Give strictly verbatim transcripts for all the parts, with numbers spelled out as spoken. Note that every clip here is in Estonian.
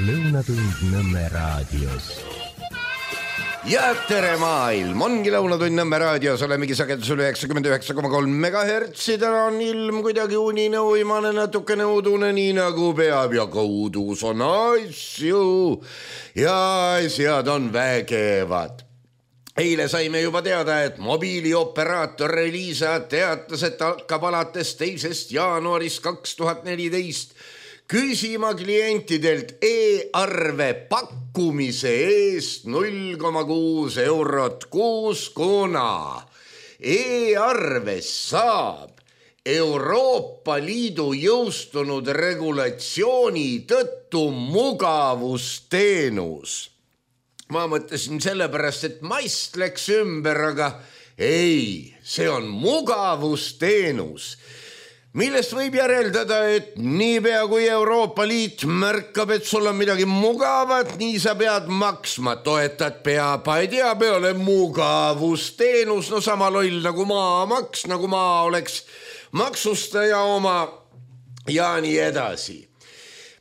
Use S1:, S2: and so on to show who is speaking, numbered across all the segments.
S1: Lõunatund Nõmme raadios.
S2: Ja tere maailm, ongi Lõunatund Nõmme raadios, olemegi sagedusel üheksakümmend üheksa koma kolm megahertsi. Täna on ilm kuidagi unine, uimane, natukene udune, nii nagu peab ja ka udus on asju ja asjad on vägevad. Eile saime juba teada, et mobiilioperaator Elisa teatas, et hakkab alates teisest jaanuarist kaks tuhat neliteist küsima klientidelt e-arve pakkumise eest null koma kuus eurot kuus, kuna e-arves saab Euroopa Liidu jõustunud regulatsiooni tõttu mugavusteenus. Ma mõtlesin sellepärast, et maist läks ümber, aga ei, see on mugavusteenus, millest võib järeldada, et niipea kui Euroopa Liit märkab, et sul on midagi mugavat, nii sa pead maksma, toetad pea, ei tea, peale mugavusteenus, no sama loll nagu maamaks, nagu maa oleks maksustaja oma ja nii edasi.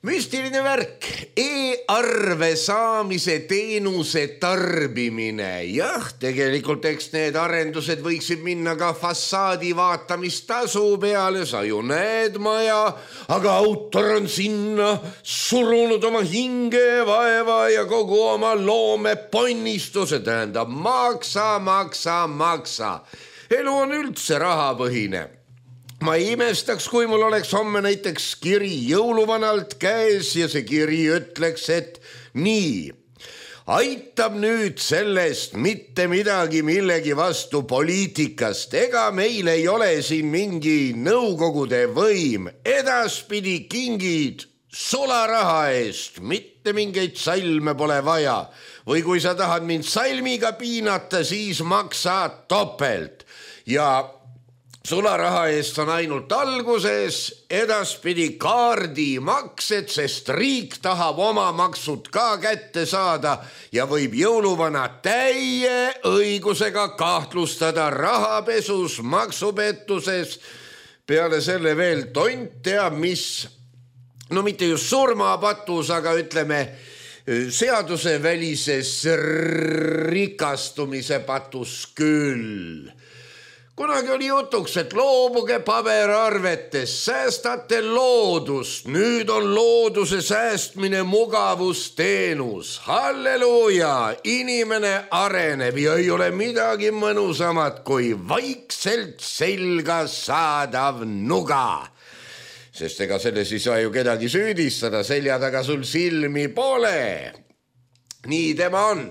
S2: Müstiline värk, e-arve saamise teenuse tarbimine. Jah, tegelikult eks need arendused võiksid minna ka fassaadi vaatamistasu peale, sa ju näed maja, aga autor on sinna surunud oma hinge, vaeva ja kogu oma loome ponnistuse, tähendab maksa, maksa, maksa. Elu on üldse rahapõhine. Ma ei imestaks, kui mul oleks homme näiteks kiri jõuluvanalt käes ja see kiri ütleks, et nii, aitab nüüd sellest mitte midagi millegi vastu poliitikast, ega meil ei ole siin mingi nõukogude võim, edaspidi kingid sularaha eest, mitte mingeid salme pole vaja, või kui sa tahad mind salmiga piinata, siis maksa topelt ja sularaha eest on ainult alguses, edaspidi kaardimaksed, sest riik tahab oma maksud ka kätte saada ja võib jõuluvana täie õigusega kahtlustada rahapesus, maksupettuses. Peale selle veel tont teab, mis, no mitte just surmapatus, aga ütleme seadusevälises rikastumise patus küll. Kunagi oli jutuks, et loobuge paberarvetes, säästate loodust, nüüd on looduse säästmine mugavusteenus. Halleluuja, inimene areneb ja ei ole midagi mõnusamat kui vaikselt selga saadav nuga. Sest ega selles ei saa ju kedagi süüdistada, selja taga sul silmi pole. Nii tema on.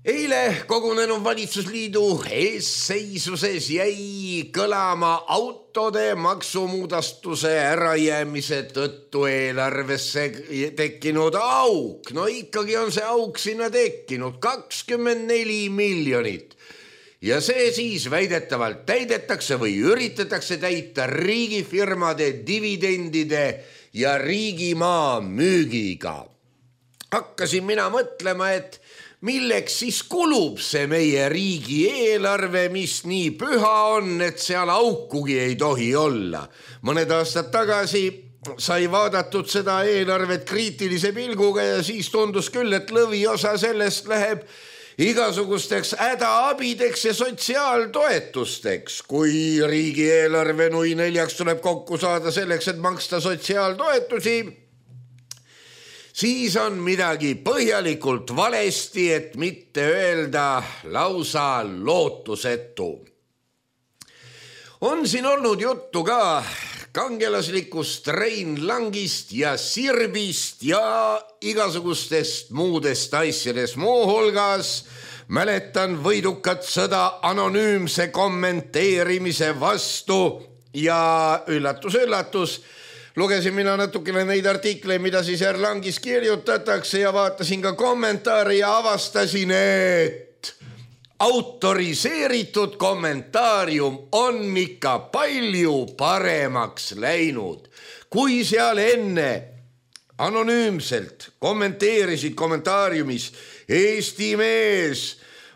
S2: Eile kogunenud valitsusliidu eesseisuses jäi kõlama autode maksumuudastuse ärajäämise tõttu eelarvesse tekkinud auk. No ikkagi on see auk sinna tekkinud kakskümmend neli miljonit. Ja see siis väidetavalt täidetakse või üritatakse täita riigifirmade dividendide ja riigimaa müügiga. Hakkasin mina mõtlema, et milleks siis kulub see meie riigi eelarve, mis nii püha on, et seal aukugi ei tohi olla. Mõned aastad tagasi sai vaadatud seda eelarvet kriitilise pilguga ja siis tundus küll, et lõviosa sellest läheb igasugusteks hädaabideks ja sotsiaaltoetusteks. Kui riigieelarve nui neljaks tuleb kokku saada selleks, et maksta sotsiaaltoetusi, siis on midagi põhjalikult valesti, et mitte öelda lausa lootusetu. On siin olnud juttu ka kangelaslikust Rein Langist ja Sirbist ja igasugustest muudest asjadest. Muu hulgas mäletan võidukat sõda anonüümse kommenteerimise vastu ja üllatus, üllatus, lugesin mina natukene neid artikleid, mida siis Erlangis kirjutatakse ja vaatasin ka kommentaare ja avastasin, et autoriseeritud kommentaarium on ikka palju paremaks läinud. Kui seal enne anonüümselt kommenteerisid kommentaariumis Eesti mees,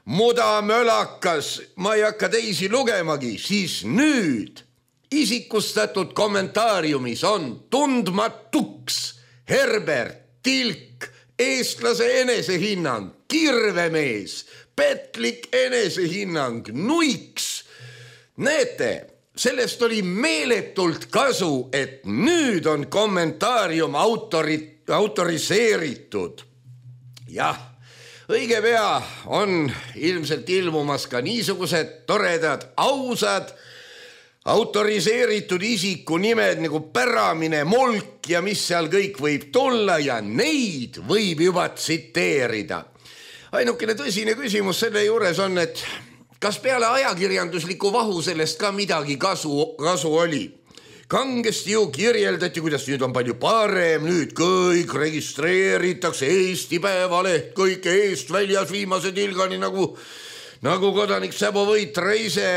S2: mudamölakas, ma ei hakka teisi lugemagi, siis nüüd isikustatud kommentaariumis on tundmatuks Herbert tilk, eestlase enesehinnang, kirvemees, petlik enesehinnang, nuiks. Näete, sellest oli meeletult kasu, et nüüd on kommentaarium autori, autoriseeritud. Jah, õige pea on ilmselt ilmumas ka niisugused toredad, ausad, autoriseeritud isiku nimed nagu Päramine, Molk ja mis seal kõik võib tulla ja neid võib juba tsiteerida. Ainukene tõsine küsimus selle juures on, et kas peale ajakirjandusliku vahu sellest ka midagi kasu, kasu oli? Kangesti ju kirjeldati, kuidas nüüd on palju parem, nüüd kõik registreeritakse, Eesti Päevaleht, kõik eest väljas viimase tilgani nagu, nagu kodanik Säbo Võitra ise.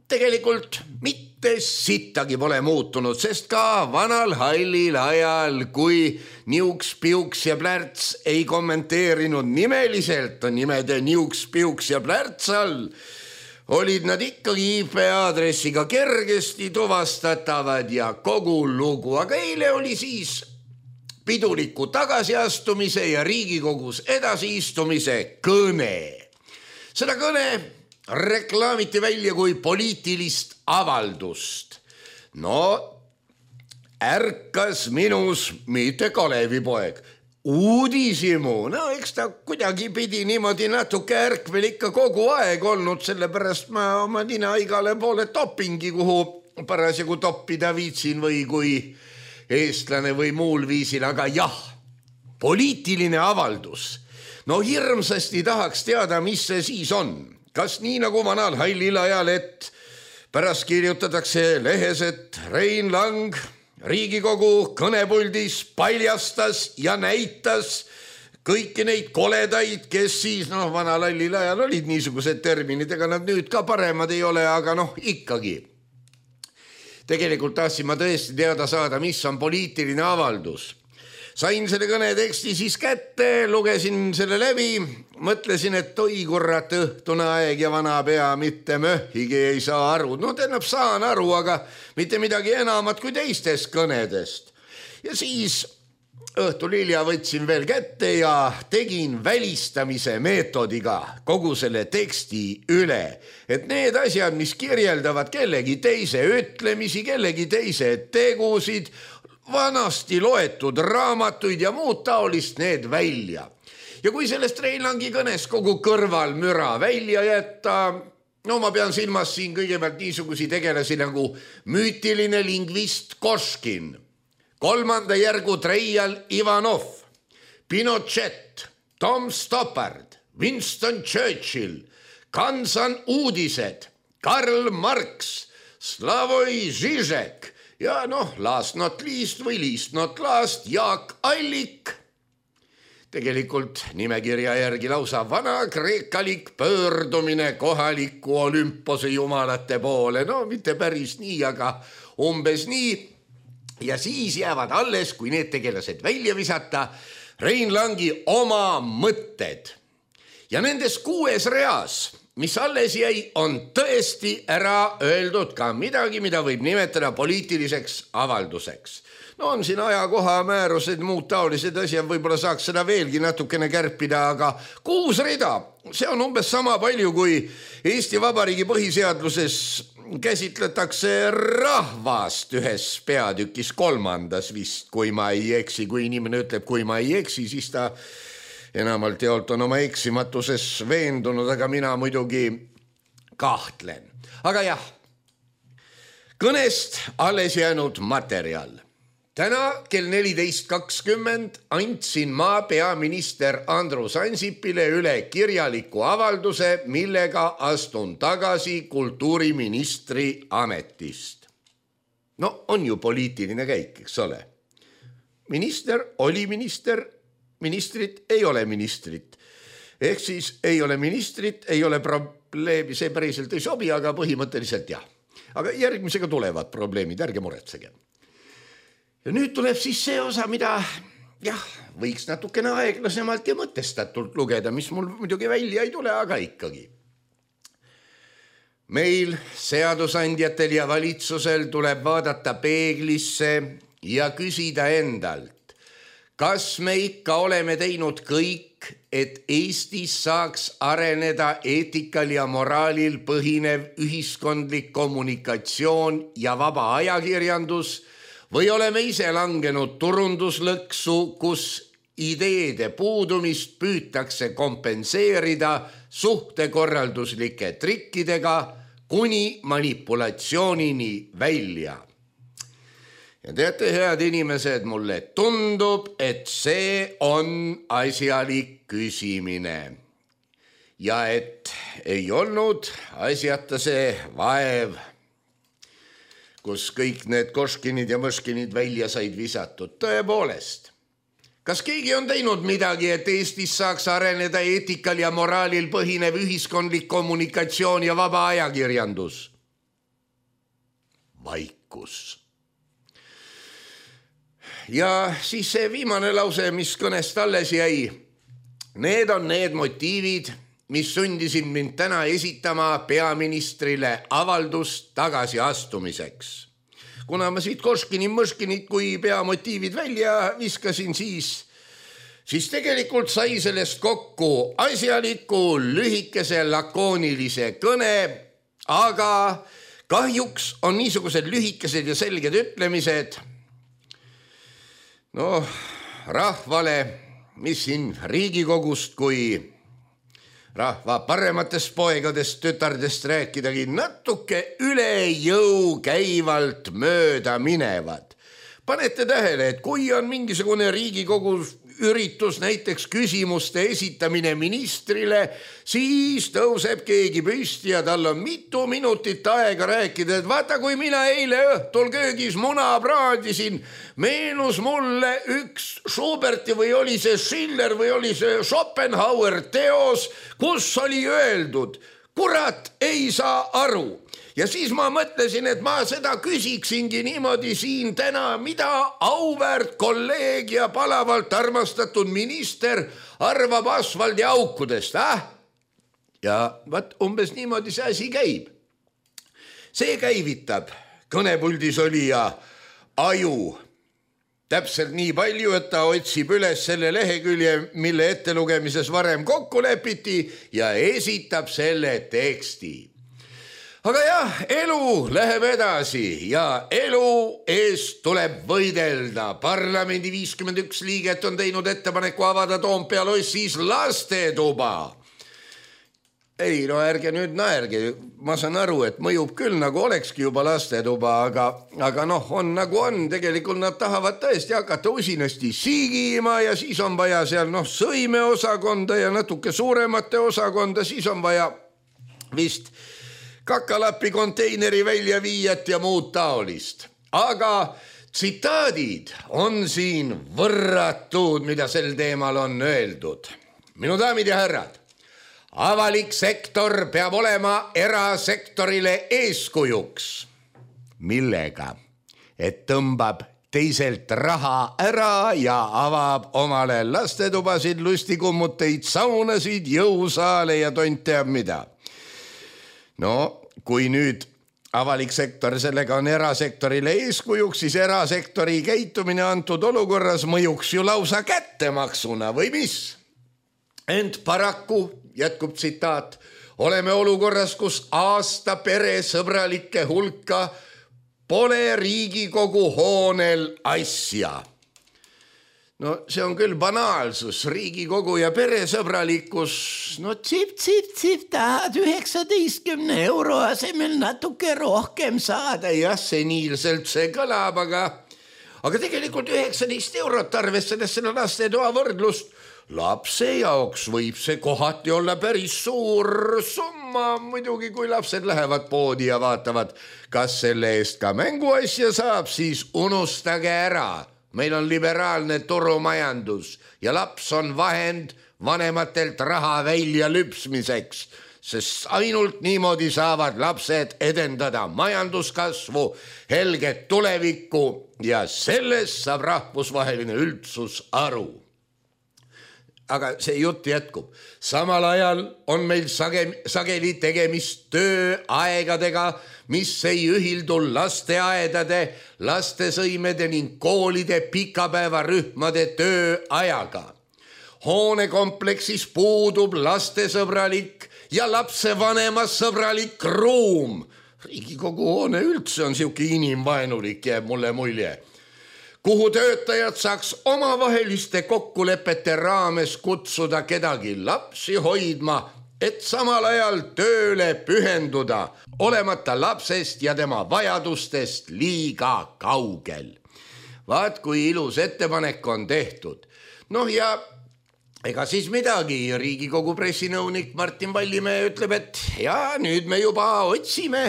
S2: Tegelikult mitte sittagi pole muutunud, sest ka vanal hallil ajal, kui Niuks, Piuks ja Plärts ei kommenteerinud nimeliselt nimede Niuks, Piuks ja Plärts all, olid nad ikkagi I P aadressiga kergesti tuvastatavad ja kogu lugu. Aga eile oli siis piduliku tagasiastumise ja Riigikogus edasiistumise kõne. Seda kõne reklaamiti välja kui poliitilist avaldust. No, ärkas minus mitte Kalevipoeg, uudishimu. No, eks ta kuidagi pidi niimoodi natuke ärkvel ikka kogu aeg olnud, sellepärast ma oma nina igale poole topingi, kuhu parasjagu toppida viitsin või kui eestlane või muul viisil, aga jah, poliitiline avaldus. No hirmsasti tahaks teada, mis see siis on. Kas nii nagu vanal hallil ajal, et pärast kirjutatakse lehes, et Rein Lang Riigikogu kõnepuldis paljastas ja näitas kõiki neid koledaid, kes siis, noh, vanal hallil ajal olid niisugused terminid, ega nad nüüd ka paremad ei ole, aga noh, ikkagi. Tegelikult tahtsin ma tõesti teada saada, mis on poliitiline avaldus. Sain selle kõne teksti siis kätte, lugesin selle läbi, mõtlesin, et oi kurat, õhtune aeg ja vana pea mitte möhhigi ei saa aru. No tähendab, saan aru, aga mitte midagi enamat kui teistest kõnedest. Ja siis õhtul hilja võtsin veel kätte ja tegin välistamise meetodiga kogu selle teksti üle. Et need asjad, mis kirjeldavad kellegi teise ütlemisi, kellegi teise tegusid, vanasti loetud raamatuid ja muud taolist need välja. Ja kui sellest Rein Langi kõnes kogu kõrval müra välja jätta, no ma pean silmas siin kõigepealt niisugusi tegelasi nagu müütiline lingvist Koškin, kolmanda järgu treial Ivanov, Pinochet, Tom Stoppard, Winston Churchill, Kansan uudised, Karl Marx, Slavoj Žižek, ja noh, last not least või least not last, Jaak Allik. Tegelikult nimekirja järgi lausa vana kreekalik pöördumine kohaliku Olümpose jumalate poole. No mitte päris nii, aga umbes nii. Ja siis jäävad alles, kui need tegelased välja visata, Rein Langi oma mõtted. Ja nendes kuues reas, mis alles jäi, on tõesti ära öeldud ka midagi, mida võib nimetada poliitiliseks avalduseks. No on siin ajakoha määrused, muud taolised asjad, võib-olla saaks seda veelgi natukene kärpida, aga kuus rida, see on umbes sama palju, kui Eesti Vabariigi põhiseadluses käsitletakse rahvast ühes peatükis kolmandas vist, kui ma ei eksi. Kui inimene ütleb, kui ma ei eksi, siis ta enamalt jaolt on oma eksimatuses veendunud, aga mina muidugi kahtlen. Aga jah, kõnest alles jäänud materjal. Täna kell neliteist kakskümmend andsin ma peaminister Andrus Ansipile üle kirjaliku avalduse, millega astun tagasi kultuuriministri ametist. No on ju poliitiline käik, eks ole. Minister oli minister, ministrit ei ole ministrit. Ehk siis ei ole ministrit, ei ole probleemi, see päriselt ei sobi, aga põhimõtteliselt jah. Aga järgmisega tulevad probleemid, ärge muretsege. Ja nüüd tuleb siis see osa, mida jah, võiks natukene aeglasemalt ja mõtestatult lugeda, mis mul muidugi välja ei tule, aga ikkagi. Meil seadusandjatel ja valitsusel tuleb vaadata peeglisse ja küsida endalt, kas me ikka oleme teinud kõik, et Eestis saaks areneda eetikal ja moraalil põhinev ühiskondlik kommunikatsioon ja vaba ajakirjandus või oleme ise langenud turunduslõksu, kus ideede puudumist püütakse kompenseerida suhtekorralduslike trikkidega kuni manipulatsioonini välja. Ja teate, head inimesed, mulle tundub, et see on asjalik küsimine. Ja et ei olnud asjata see vaev, kus kõik need koškinid ja mõškinid välja said visatud. Tõepoolest, kas keegi on teinud midagi, et Eestis saaks areneda eetikal ja moraalil põhinev ühiskondlik kommunikatsioon ja vaba ajakirjandus? Vaikus. Ja siis see viimane lause, mis kõnest alles jäi. Need on need motiivid, mis sundisid mind täna esitama peaministrile avaldust tagasi astumiseks. Kuna ma siit koškini mõškinit kui peamotiivid välja viskasin, siis, siis tegelikult sai sellest kokku asjaliku, lühikese, lakoonilise kõne, aga kahjuks on niisugused lühikesed ja selged ütlemised no rahvale, mis siin Riigikogust kui rahva parematest poegadest, tütardest rääkidagi natuke üle jõu käivalt mööda minevad. Panete tähele, et kui on mingisugune Riigikogu üritus, näiteks küsimuste esitamine ministrile, siis tõuseb keegi püsti ja tal on mitu minutit aega rääkida, et vaata, kui mina eile õhtul köögis muna praadisin, meenus mulle üks Schuberti või oli see Schiller või oli see Schopenhauer teos, kus oli öeldud, kurat ei saa aru. Ja siis ma mõtlesin, et ma seda küsiksingi niimoodi siin täna, mida auväärt kolleeg ja palavalt armastatud minister arvab asfaldiaukudest, ah? Ja vaat umbes niimoodi see asi käib. See käivitab kõnepuldis olija aju täpselt nii palju, et ta otsib üles selle lehekülje, mille ettelugemises varem kokku lepiti ja esitab selle teksti. Aga jah, elu läheb edasi ja elu eest tuleb võidelda. Parlamendi viiskümmend üks liiget on teinud ettepaneku avada Toompea lossis lastetuba. Ei, no ärge nüüd naerge. Ma saan aru, et mõjub küll nagu olekski juba lastetuba, aga, aga noh, on nagu on. Tegelikult nad tahavad tõesti hakata usinasti siigima ja siis on vaja seal noh, sõimeosakonda ja natuke suuremate osakonda, siis on vaja vist kakalapi konteineri välja viiat ja muud taolist. Aga tsitaadid on siin võrratud, mida sel teemal on öeldud. Minu daamid ja härrad, avalik sektor peab olema erasektorile eeskujuks. Millega? Et tõmbab teiselt raha ära ja avab omale lastetubasid, lustikummuteid, saunasid, jõusaale ja tont teab mida. No, kui nüüd avalik sektor sellega on erasektorile eeskujuks, siis erasektori käitumine antud olukorras mõjuks ju lausa kättemaksuna või mis? Ent paraku, jätkub tsitaat, oleme olukorras, kus aasta peresõbralike hulka pole Riigikogu hoonel asja. No see on küll banaalsus, Riigikogu ja peresõbralikkus, no tsip, tsip, tsip, tahad üheksateistkümne euro asemel natuke rohkem saada. Jah, seniilselt see kõlab, aga, aga tegelikult üheksateist eurot arvestades selle lastetoa võrdlust. Lapse jaoks võib see kohati olla päris suur summa, muidugi kui lapsed lähevad poodi ja vaatavad, kas selle eest ka mänguasja saab, siis unustage ära. Meil on liberaalne turumajandus ja laps on vahend vanematelt raha välja lüpsmiseks, sest ainult niimoodi saavad lapsed edendada majanduskasvu, helget tulevikku ja sellest saab rahvusvaheline üldsus aru. aga see jutt jätkub. Samal ajal on meil sage, sageli tegemist tööaegadega, mis ei ühildu lasteaedade, lastesõimede ning koolide pikapäevarühmade tööajaga. Hoonekompleksis puudub lastesõbralik ja lapsevanema sõbralik ruum. Riigikogu hoone üldse on siuke inimvaenulik, jääb mulle mulje. Kuhu töötajad saaks omavaheliste kokkulepete raames kutsuda kedagi lapsi hoidma, et samal ajal tööle pühenduda, olemata lapsest ja tema vajadustest liiga kaugel. Vaat kui ilus ettepanek on tehtud. Noh ja ega siis midagi, Riigikogu pressinõunik Martin Vallimäe ütleb, et ja nüüd me juba otsime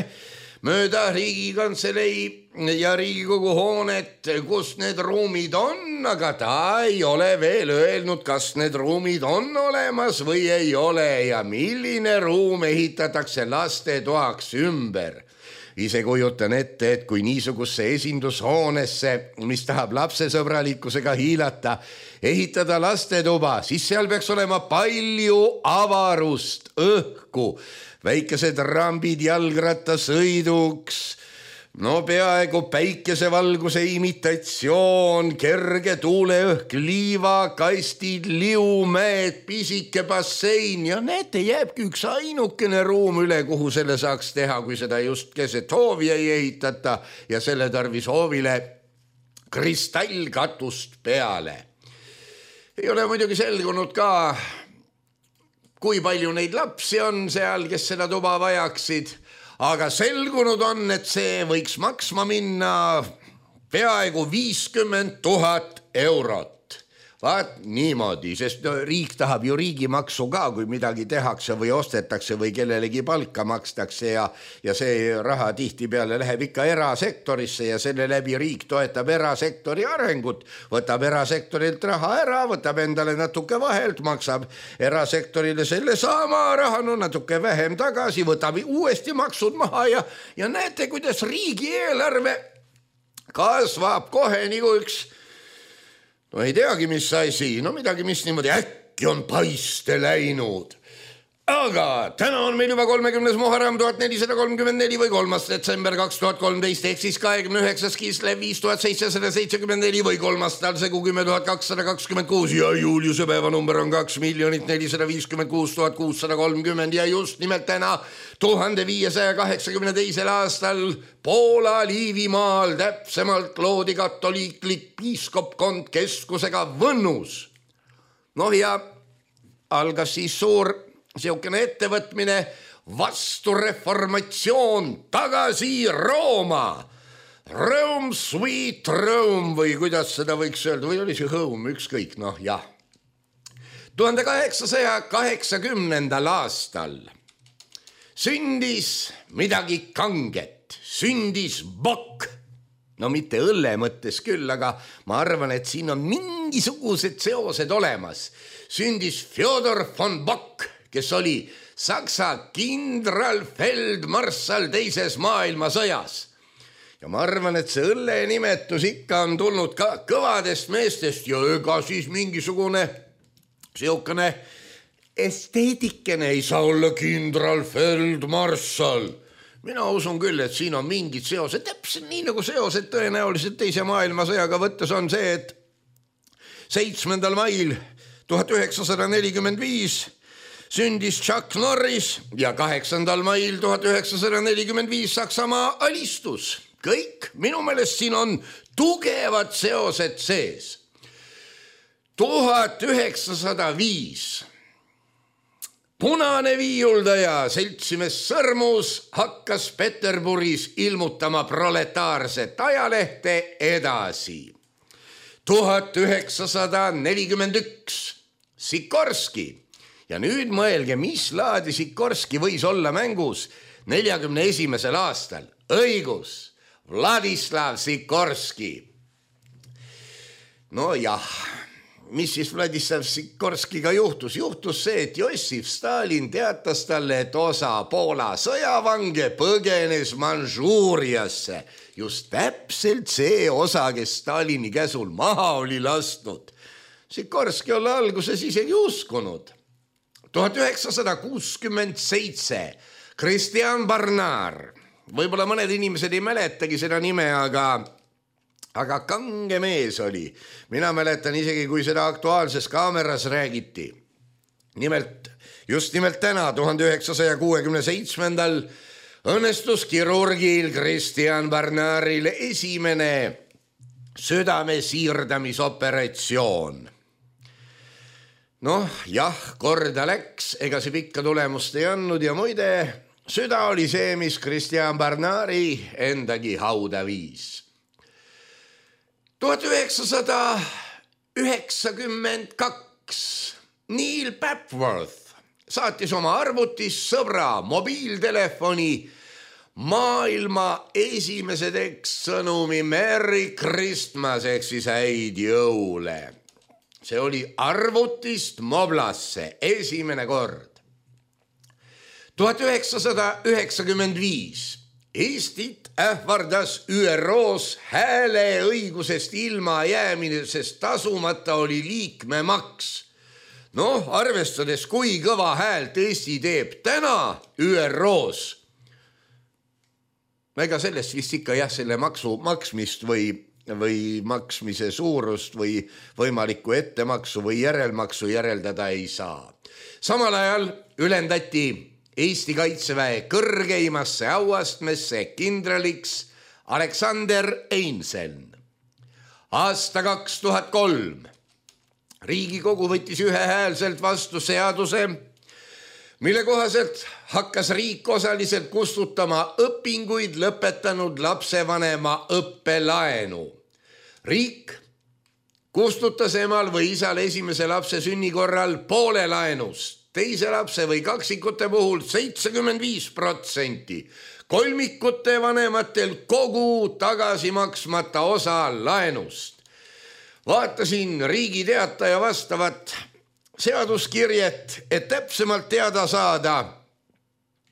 S2: mööda Riigikantselei ja Riigikogu hoonet, kus need ruumid on, aga ta ei ole veel öelnud, kas need ruumid on olemas või ei ole ja milline ruum ehitatakse lastetoaks ümber. Ise kujutan ette, et kui niisugusse esindushoonesse, mis tahab lapsesõbralikkusega hiilata, ehitada lastetuba, siis seal peaks olema palju avarust, õhku, väikesed rambid jalgrattasõiduks, no peaaegu päikesevalguse imitatsioon, kerge tuuleõhk, liivakastid, liumäed, pisike bassein ja näete, jääbki üks ainukene ruum üle, kuhu selle saaks teha, kui seda just keset hoovi ei ehitata ja selle tarvis hoovile kristallkatust peale. Ei ole muidugi selgunud ka, kui palju neid lapsi on seal, kes seda tuba vajaksid, aga selgunud on, et see võiks maksma minna peaaegu viiskümmend tuhat eurot. Vaat niimoodi, sest riik tahab ju riigimaksu ka, kui midagi tehakse või ostetakse või kellelegi palka makstakse ja, ja see raha tihti peale läheb ikka erasektorisse ja selle läbi riik toetab erasektori arengut, võtab erasektorilt raha ära, võtab endale natuke vahelt, maksab erasektorile selle sama raha, no natuke vähem tagasi, võtab uuesti maksud maha ja, ja näete, kuidas riigieelarve kasvab kohe nagu üks no ei teagi, mis asi, no midagi, mis niimoodi äkki on paiste läinud. Aga täna on meil juba kolmekümnes Muharram tuhat nelisada kolmkümmend neli või kolmas detsember kaks tuhat kolmteist, ehk siis kahekümne üheksas Kislev viis tuhat seitsesada seitsekümmend neli või kolmas talsegu kümme tuhat kakssada kakskümmend kuus ja Juliuse päevanumber on kaks miljonit nelisada viiskümmend kuus tuhat kuussada kolmkümmend ja just nimelt täna tuhande viiesaja kaheksakümne teisel aastal Poola Liivimaal täpsemalt loodi katoliiklik piiskopkond keskusega Võnnus. Noh ja algas siis suur siukene ettevõtmine vastureformatsioon tagasi Rooma. Rome, sweet Rome või kuidas seda võiks öelda, või oli see home, ükskõik, noh jah. tuhande kaheksasaja kaheksakümnendal aastal sündis midagi kanget, sündis Bokk. No mitte õlle mõttes küll, aga ma arvan, et siin on mingisugused seosed olemas. Sündis Fjodor von Bokk, kes oli Saksa kindralfeldmarssal teises maailmasõjas. Ja ma arvan, et see õlle nimetus ikka on tulnud ka kõvadest meestest ja ega siis mingisugune siukene esteetikene ei saa olla kindralfeldmarssal. Mina usun küll, et siin on mingid seosed, täpselt nii nagu seosed tõenäoliselt teise maailmasõjaga võttes on see, et seitsmendal mail tuhat üheksasada nelikümmend viis sündis Chuck Norris ja kaheksandal mail tuhat üheksasada nelikümmend viis Saksamaa alistus. Kõik minu meelest siin on tugevad seosed sees. tuhat üheksasada viis punane viiuldaja seltsimees Sõrmus hakkas Peterburis ilmutama proletaarset ajalehte edasi. tuhat üheksasada nelikümmend üks Sikorski. Ja nüüd mõelge, mis laadi Sikorski võis olla mängus neljakümne esimesel aastal. Õigus, Vladislav Sikorski. No jah, mis siis Vladislav Sikorskiga juhtus? Juhtus see, et Jossif Stalin teatas talle, et osa Poola sõjavange põgenes Manžuuriasse. Just täpselt see osa, kes Stalini käsul maha oli lastnud. Sikorski olla alguses isegi uskunud. tuhat üheksasada kuuskümmend seitse Christian Barnard. Võib-olla mõned inimesed ei mäletagi seda nime, aga, aga kange mees oli. Mina mäletan isegi, kui seda Aktuaalses Kaameras räägiti. Nimelt, just nimelt täna, tuhande üheksasaja kuuekümne seitsmendal õnnestus kirurgil Christian Barnardil esimene südame siirdamisoperatsioon. Noh, jah, korda läks, ega see pikka tulemust ei andnud ja muide, süda oli see, mis Christian Barnardi endagi hauda viis. tuhat üheksasada üheksakümmend kaks Neil Papworth saatis oma arvutis sõbra mobiiltelefoni maailma esimese tekstsõnumi Merry Christmas ehk siis häid jõule. See oli arvutist moblasse esimene kord. tuhat üheksasada üheksakümmend viis Eestit ähvardas Ü R O's hääleõigusest ilma jäämisest tasumata oli liikmemaks. Noh, arvestades, kui kõva häält Eesti teeb täna Ü R O's, ega sellest vist ikka jah, selle maksu maksmist või, või maksmise suurust või võimalikku ettemaksu või järelmaksu järeldada ei saa. Samal ajal ülendati Eesti Kaitseväe kõrgeimasse auastmesse kindraliks Aleksander Einseln. Aasta kaks tuhat kolm Riigikogu võttis ühehäälselt vastu seaduse, mille kohaselt hakkas riik osaliselt kustutama õpinguid lõpetanud lapsevanema õppelaenu. Riik kustutas emal või isal esimese lapse sünni korral poole laenust, teise lapse või kaksikute puhul seitsekümmend viis protsenti, kolmikute vanematel kogu tagasi maksmata osa laenust. Vaatasin Riigi Teataja vastavat seaduskirjet, et täpsemalt teada saada.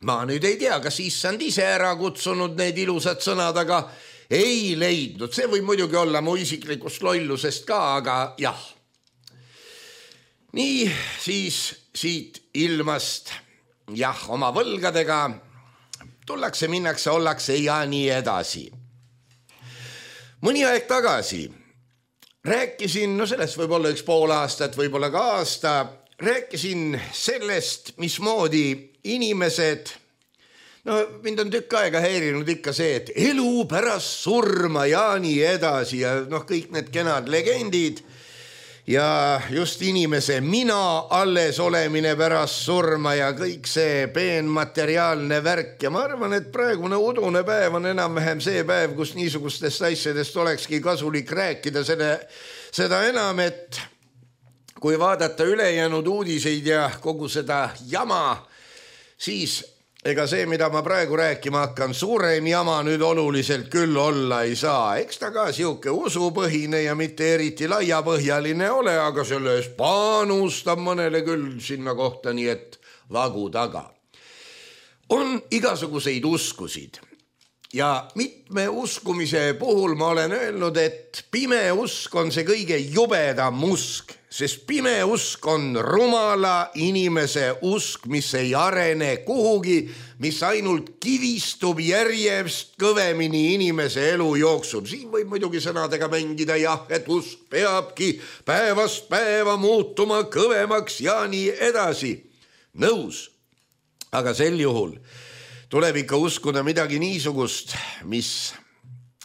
S2: Ma nüüd ei tea, kas issand ise ära kutsunud need ilusad sõnad, aga ei leidnud. See võib muidugi olla mu isiklikust lollusest ka, aga jah. Nii siis siit ilmast, jah, oma võlgadega tullakse, minnakse, ollakse ja nii edasi. Mõni aeg tagasi rääkisin, no sellest võib olla üks pool aastat, võib olla ka aasta, rääkisin sellest, mismoodi inimesed, no mind on tükk aega häirinud ikka see, et elu pärast surma ja nii edasi ja noh, kõik need kenad legendid ja just inimese mina alles olemine pärast surma ja kõik see peenmateriaalne värk ja ma arvan, et praegune udune päev on enam-vähem see päev, kus niisugustest asjadest olekski kasulik rääkida, selle, seda enam, et kui vaadata ülejäänud uudiseid ja kogu seda jama, siis ega see, mida ma praegu rääkima hakkan, suurem jama nüüd oluliselt küll olla ei saa. Eks ta ka siuke usupõhine ja mitte eriti laiapõhjaline ole, aga selle eest panustab mõnele küll sinna kohta, nii et vagu taga. On igasuguseid uskusid ja mitme uskumise puhul ma olen öelnud, et pime usk on see kõige jubedam usk, sest pime usk on rumala inimese usk, mis ei arene kuhugi, mis ainult kivistub järjest kõvemini inimese elu jooksub. Siin võib muidugi sõnadega mängida jah, et usk peabki päevast päeva muutuma kõvemaks ja nii edasi. Nõus, aga sel juhul tuleb ikka uskuda midagi niisugust, mis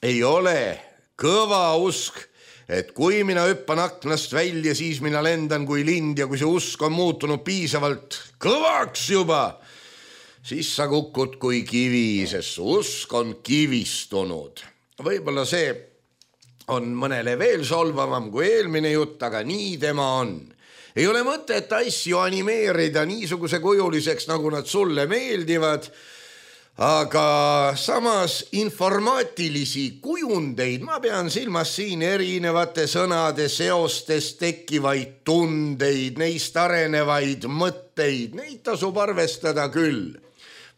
S2: ei ole kõva usk, et kui mina hüppan aknast välja, siis mina lendan kui lind ja kui see usk on muutunud piisavalt kõvaks juba, siis sa kukud kui kivi, sest usk on kivistunud. Võib-olla see on mõnele veel solvavam kui eelmine jutt, aga nii tema on. Ei ole mõtet asju animeerida niisuguse kujuliseks, nagu nad sulle meeldivad, aga samas informaatilisi kujundeid, ma pean silmas siin erinevate sõnade seostes tekkivaid tundeid, neist arenevaid mõtteid, neid tasub arvestada küll.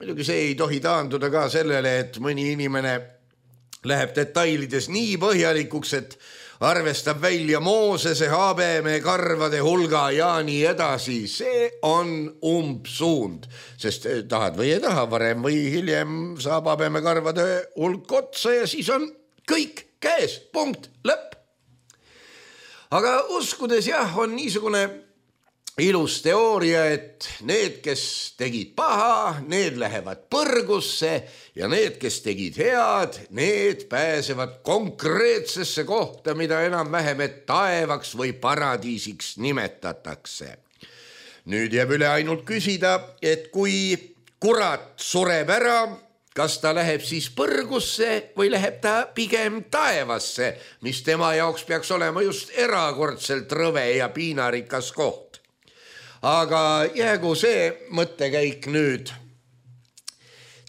S2: Muidugi see ei tohi taanduda ka sellele, et mõni inimene läheb detailides nii põhjalikuks, et arvestab välja Moosese habeme karvade hulga ja nii edasi. See on umbsuund, sest tahad või ei taha, varem või hiljem saab habeme karvade hulk otsa ja siis on kõik käes, punkt, lõpp. Aga uskudes jah, on niisugune ilus teooria, et need, kes tegid paha, need lähevad põrgusse ja need, kes tegid head, need pääsevad konkreetsesse kohta, mida enam-vähem et taevaks või paradiisiks nimetatakse. Nüüd jääb üle ainult küsida, et kui kurat sureb ära, kas ta läheb siis põrgusse või läheb ta pigem taevasse, mis tema jaoks peaks olema just erakordselt rõve ja piinarikas koht. Aga jäägu see mõttekäik nüüd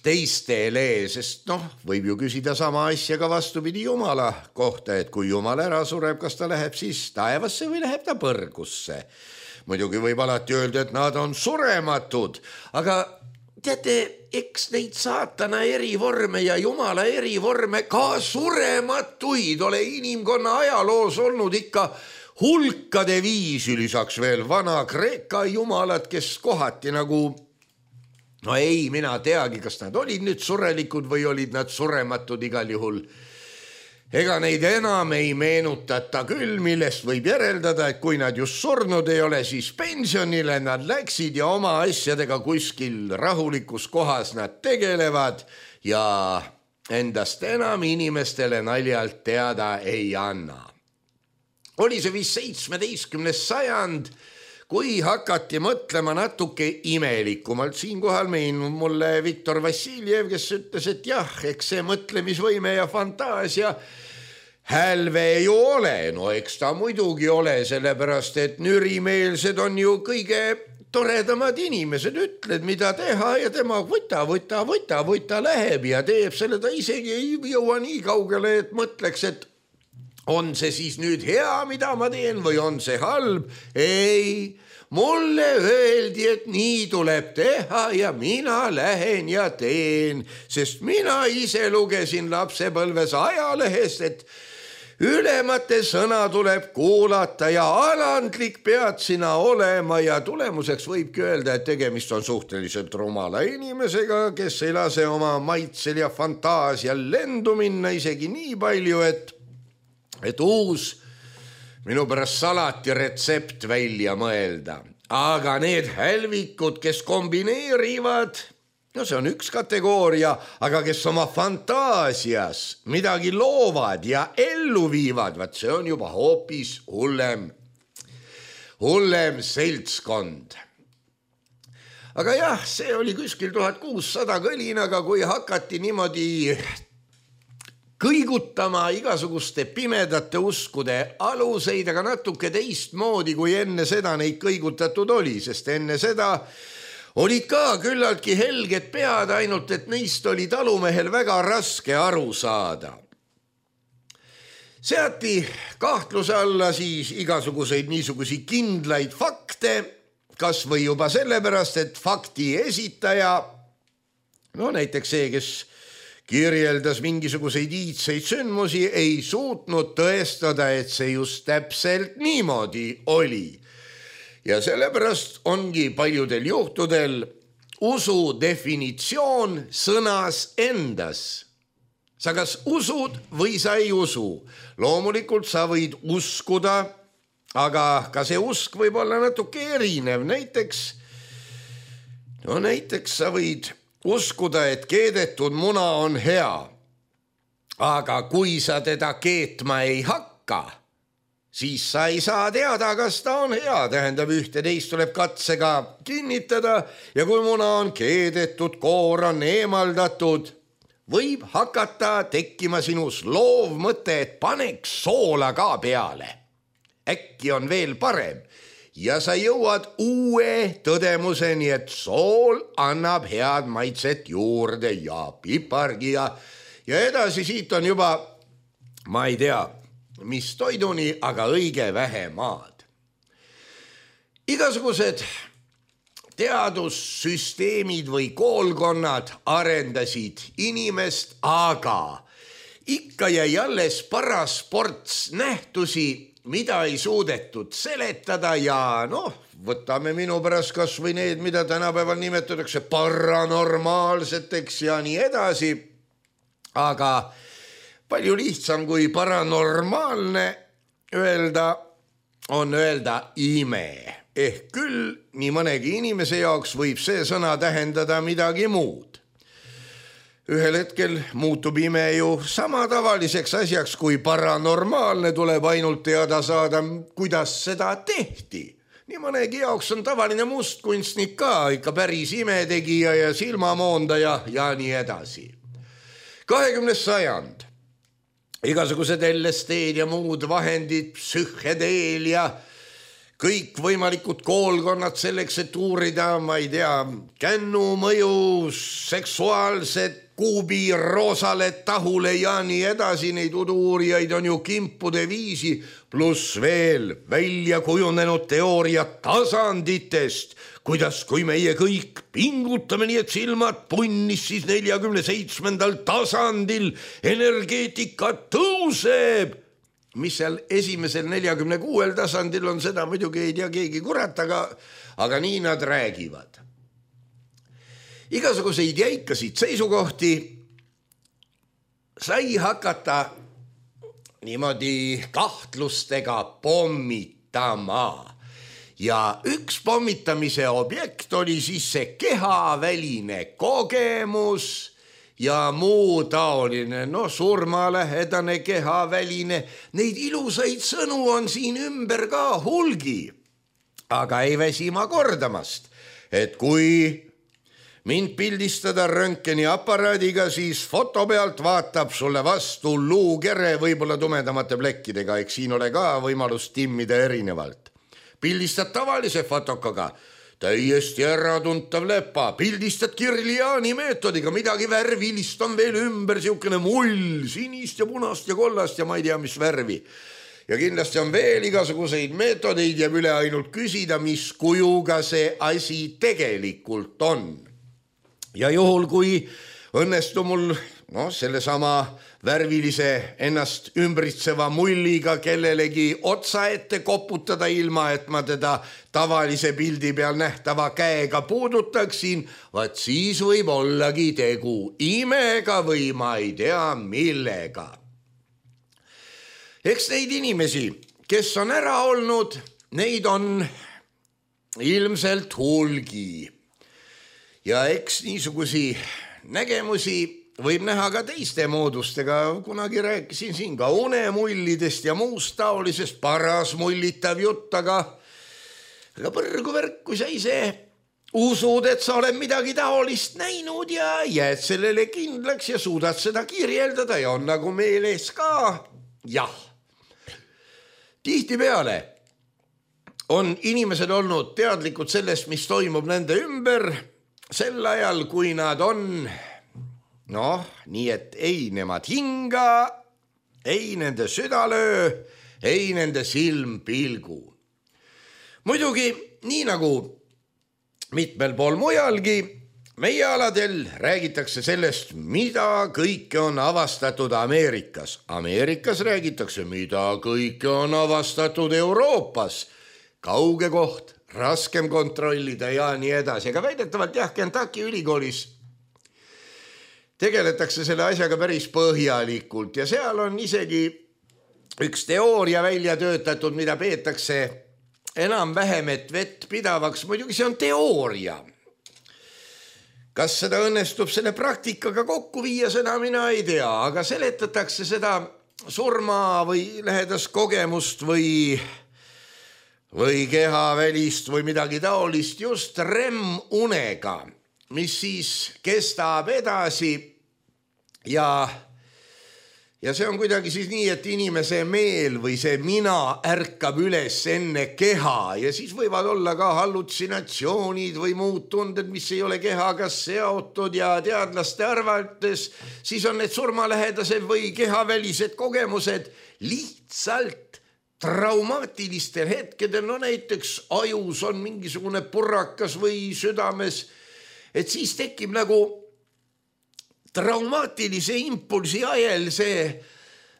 S2: teistele, sest noh, võib ju küsida sama asja ka vastupidi Jumala kohta, et kui Jumal ära sureb, kas ta läheb siis taevasse või läheb ta põrgusse. Muidugi võib alati öelda, et nad on surematud, aga teate, eks neid saatana erivorme ja Jumala erivorme ka surematuid ole inimkonna ajaloos olnud ikka hulkade viisi, lisaks veel vana Kreeka jumalad, kes kohati nagu, no ei, mina teagi, kas nad olid nüüd surelikud või olid nad surematud igal juhul. Ega neid enam ei meenutata küll, millest võib järeldada, et kui nad just surnud ei ole, siis pensionile nad läksid ja oma asjadega kuskil rahulikus kohas nad tegelevad ja endast enam inimestele naljalt teada ei anna. Oli see vist seitsmeteistkümnes sajand, kui hakati mõtlema natuke imelikumalt. Siinkohal meenub mulle Viktor Vassiljev, kes ütles, et jah, eks see mõtlemisvõime ja fantaasia hälve ju ole. No eks ta muidugi ole, sellepärast et nürimeelsed on ju kõige toredamad inimesed. Ütled, mida teha ja tema võta, võta, võta, võta läheb ja teeb selle. Ta isegi ei jõua nii kaugele, et mõtleks, et on see siis nüüd hea, mida ma teen või on see halb? Ei, mulle öeldi, et nii tuleb teha ja mina lähen ja teen, sest mina ise lugesin lapsepõlves ajalehest, et ülemate sõna tuleb kuulata ja alandlik pead sina olema ja tulemuseks võibki öelda, et tegemist on suhteliselt rumala inimesega, kes ei lase oma maitsel ja fantaasial lendu minna isegi nii palju, et et uus minu pärast salati retsept välja mõelda. Aga need hälvikud, kes kombineerivad, no see on üks kategooria, aga kes oma fantaasias midagi loovad ja ellu viivad, vaat see on juba hoopis hullem, hullem seltskond. Aga jah, see oli kuskil tuhat kuussada kõlinaga, kui hakati niimoodi kõigutama igasuguste pimedate uskude aluseid, aga natuke teistmoodi, kui enne seda neid kõigutatud oli, sest enne seda olid ka küllaltki helged pead, ainult et neist oli talumehel väga raske aru saada. Seati kahtluse alla siis igasuguseid niisugusi kindlaid fakte, kas või juba sellepärast, et fakti esitaja, no näiteks see, kes kirjeldas mingisuguseid iidseid sündmusi, ei suutnud tõestada, et see just täpselt niimoodi oli. Ja sellepärast ongi paljudel juhtudel usu definitsioon sõnas endas. Sa kas usud või sa ei usu. Loomulikult sa võid uskuda, aga ka see usk võib olla natuke erinev. Näiteks, no näiteks sa võid uskuda, et keedetud muna on hea, aga kui sa teda keetma ei hakka, siis sa ei saa teada, kas ta on hea. Tähendab, ühte teist tuleb katsega kinnitada ja kui muna on keedetud, koor on eemaldatud, võib hakata tekkima sinus loov mõte, et paneks soola ka peale. Äkki on veel parem. Ja sa jõuad uue tõdemuseni, et sool annab head maitset juurde ja pipargi ja, ja edasi siit on juba, ma ei tea, mis toiduni, aga õige vähe maad. Igasugused teadussüsteemid või koolkonnad arendasid inimest, aga ikka jäi alles paras ports nähtusi, mida ei suudetud seletada ja noh, võtame minu pärast kas või need, mida tänapäeval nimetatakse paranormaalseteks ja nii edasi. Aga palju lihtsam kui paranormaalne öelda on öelda ime. Ehk küll nii mõnegi inimese jaoks võib see sõna tähendada midagi muud. Ühel hetkel muutub ime ju sama tavaliseks asjaks, kui paranormaalne tuleb ainult teada saada, kuidas seda tehti. Nii mõnegi jaoks on tavaline mustkunstnik ka ikka päris imetegija ja silmamoondaja ja nii edasi. kahekümnes sajand. Igasugused L S D-d ja muud vahendid, psühhedeelia, kõik võimalikud koolkonnad selleks, et uurida, ma ei tea, kännu mõju, seksuaalset kuubi roosale tahule ja nii edasi, neid udu-uurijaid on ju kimpude viisi, pluss veel välja kujunenud teooria tasanditest, kuidas kui meie kõik pingutame nii, et silmad punnis, siis neljakümne seitsmendal tasandil energeetika tõuseb. Mis seal esimesel neljakümne kuuel tasandil on, seda muidugi ei tea keegi kurat, aga, aga nii nad räägivad. Igasuguseid jäikasid seisukohti sai hakata niimoodi kahtlustega pommitama. Ja üks pommitamise objekt oli siis see kehaväline kogemus ja muu taoline, no surmalähedane kehaväline. Neid ilusaid sõnu on siin ümber ka hulgi. Aga ei väsi ma kordamast, et kui mind pildistada röntgeni aparaadiga, siis foto pealt vaatab sulle vastu luukere võib-olla tumedamate plekkidega, eks siin ole ka võimalus timmida erinevalt. Pildistad tavalise fotokaga, täiesti äratuntav lepa, pildistad Kirliani meetodiga, midagi värvilist on veel ümber, siukene mull, sinist ja punast ja kollast ja ma ei tea, mis värvi. Ja kindlasti on veel igasuguseid meetodeid ja üle ainult küsida, mis kujuga see asi tegelikult on. Ja juhul, kui õnnestu mul no, sellesama värvilise ennast ümbritseva mulliga kellelegi otsa ette koputada ilma, et ma teda tavalise pildi peal nähtava käega puudutaksin, vaat siis võib ollagi tegu imega või ma ei tea millega. Eks neid inimesi, kes on ära olnud, neid on ilmselt hulgi. Ja eks niisugusi nägemusi võib näha ka teiste moodustega. Kunagi rääkisin siin ka unemullidest ja muust taolisest, paras mullitav jutt, aga, aga põrgu värk, kui sa ise usud, et sa oled midagi taolist näinud ja jääd sellele kindlaks ja suudad seda kirjeldada ja on nagu meeles ka. Jah, tihtipeale on inimesed olnud teadlikud sellest, mis toimub nende ümber, sel ajal, kui nad on, noh, nii et ei nemad hinga, ei nende südalöö, ei nende silm pilgu. Muidugi, nii nagu mitmel pool mujalgi, meie aladel räägitakse sellest, mida kõike on avastatud Ameerikas. Ameerikas räägitakse, mida kõike on avastatud Euroopas. Kauge koht, raskem kontrollida ja nii edasi. Aga väidetavalt jah, Kentucky ülikoolis tegeletakse selle asjaga päris põhjalikult ja seal on isegi üks teooria välja töötatud, mida peetakse enam-vähem et vett pidavaks. Muidugi see on teooria. Kas seda õnnestub selle praktikaga kokku viia, seda mina ei tea, aga seletatakse seda surma või lähedast kogemust või või kehavälist või midagi taolist just REM-unega, mis siis kestab edasi ja, ja see on kuidagi siis nii, et inimese meel või see mina ärkab üles enne keha ja siis võivad olla ka hallutsinatsioonid või muud tunded, mis ei ole kehaga seotud ja teadlaste arvates siis on need surmalähedased või kehavälised kogemused lihtsalt traumatilistel hetkedel, no näiteks ajus on mingisugune purrakas või südames, et siis tekib nagu traumaatilise impulsi ajel see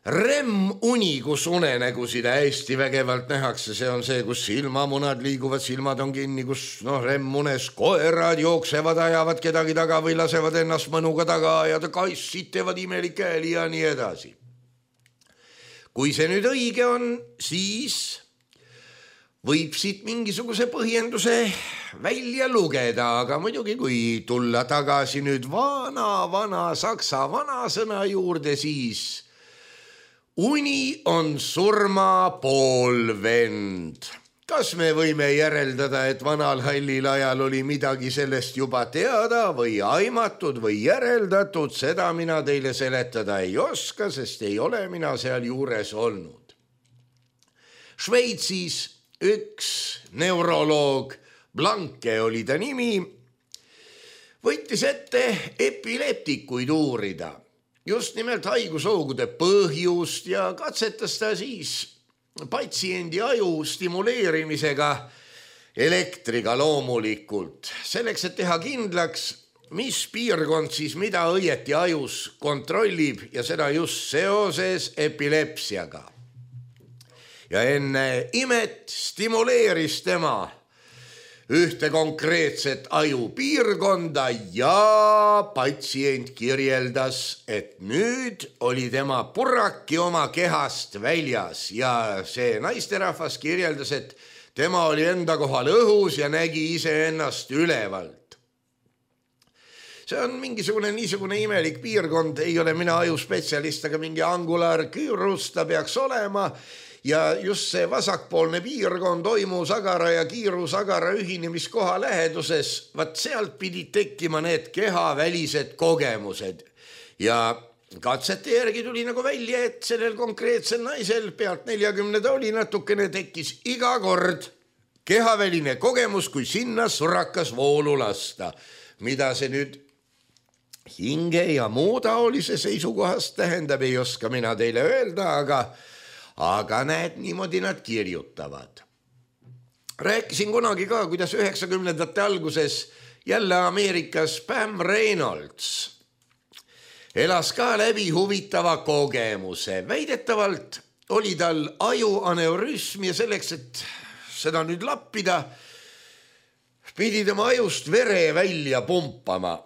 S2: REM-uni, kus unenägusid hästi vägevalt nähakse, see on see, kus silmamunad liiguvad, silmad on kinni, kus noh, REM-unes koerad jooksevad, ajavad kedagi taga või lasevad ennast mõnuga taga ajada, kassid teevad imelikke hääli ja nii edasi. Kui see nüüd õige on, siis võib siit mingisuguse põhjenduse välja lugeda, aga muidugi kui tulla tagasi nüüd vana, vana saksa vanasõna juurde, siis uni on surma poolvend. Kas me võime järeldada, et vanal hallil ajal oli midagi sellest juba teada või aimatud või järeldatud, seda mina teile seletada ei oska, sest ei ole mina seal juures olnud. Šveitsis üks neuroloog, Blanke oli ta nimi, võttis ette epileptikuid uurida, just nimelt haigushoogude põhjust ja katsetas ta siis patsiendi aju stimuleerimisega elektriga loomulikult, selleks, et teha kindlaks, mis piirkond siis mida õieti ajus kontrollib ja seda just seoses epilepsiaga. Ja enne imet stimuleeris tema ühte konkreetset ajupiirkonda ja patsient kirjeldas, et nüüd oli tema purraki oma kehast väljas ja see naisterahvas kirjeldas, et tema oli enda kohal õhus ja nägi iseennast ülevalt. See on mingisugune niisugune imelik piirkond, ei ole mina ajuspetsialist, aga mingi angulaarküürus ta peaks olema. Ja just see vasakpoolne piirkond oimusagara ja kiirusagara ühinemiskoha läheduses, vaat sealt pidid tekkima need kehavälised kogemused. Ja katsete järgi tuli nagu välja, et sellel konkreetsel naisel pealt neljakümne ta oli natukene tekkis iga kord kehaväline kogemus, kui sinna surakas voolu lasta. Mida see nüüd hinge ja muu taolise seisukohast tähendab, ei oska mina teile öelda, aga Aga näed, niimoodi nad kirjutavad. Rääkisin kunagi ka, kuidas üheksakümnendate alguses jälle Ameerikas Pam Reynolds elas ka läbi huvitava kogemuse. Väidetavalt oli tal ajuaneurüsm ja selleks, et seda nüüd lappida, pidi tema ajust vere välja pumpama.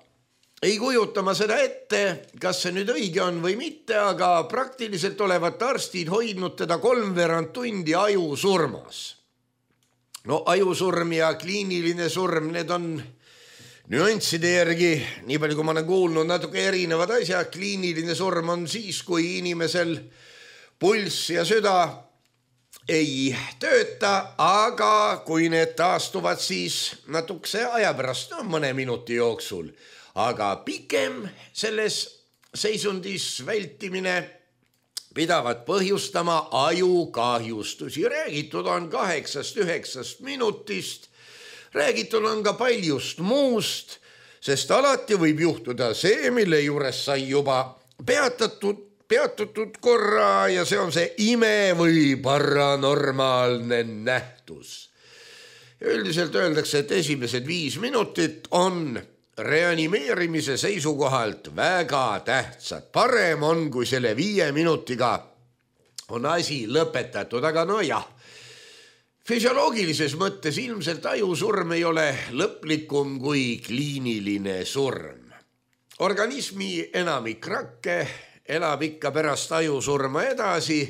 S2: Ei kujutama seda ette, kas see nüüd õige on või mitte, aga praktiliselt olevat arstid hoidnud teda kolmveerand tundi ajusurmas. No ajusurm ja kliiniline surm, need on nüansside järgi, nii palju kui ma olen kuulnud, natuke erinevad asjad. Kliiniline surm on siis, kui inimesel pulss ja süda ei tööta, aga kui need taastuvad, siis natukese aja pärast, no mõne minuti jooksul. Aga pikem selles seisundis vältimine pidavat põhjustama ajukahjustusi. Räägitud on kaheksast üheksast minutist, räägitud on ka paljust muust, sest alati võib juhtuda see, mille juures sai juba peatatud, peatutud korra ja see on see ime või paranormaalne nähtus. Üldiselt öeldakse, et esimesed viis minutit on reanimeerimise seisukohalt väga tähtsad. Parem on, kui selle viie minutiga on asi lõpetatud, aga no jah, füsioloogilises mõttes ilmselt ajusurm ei ole lõplikum kui kliiniline surm. Organismi enamik rakke elab ikka pärast ajusurma edasi.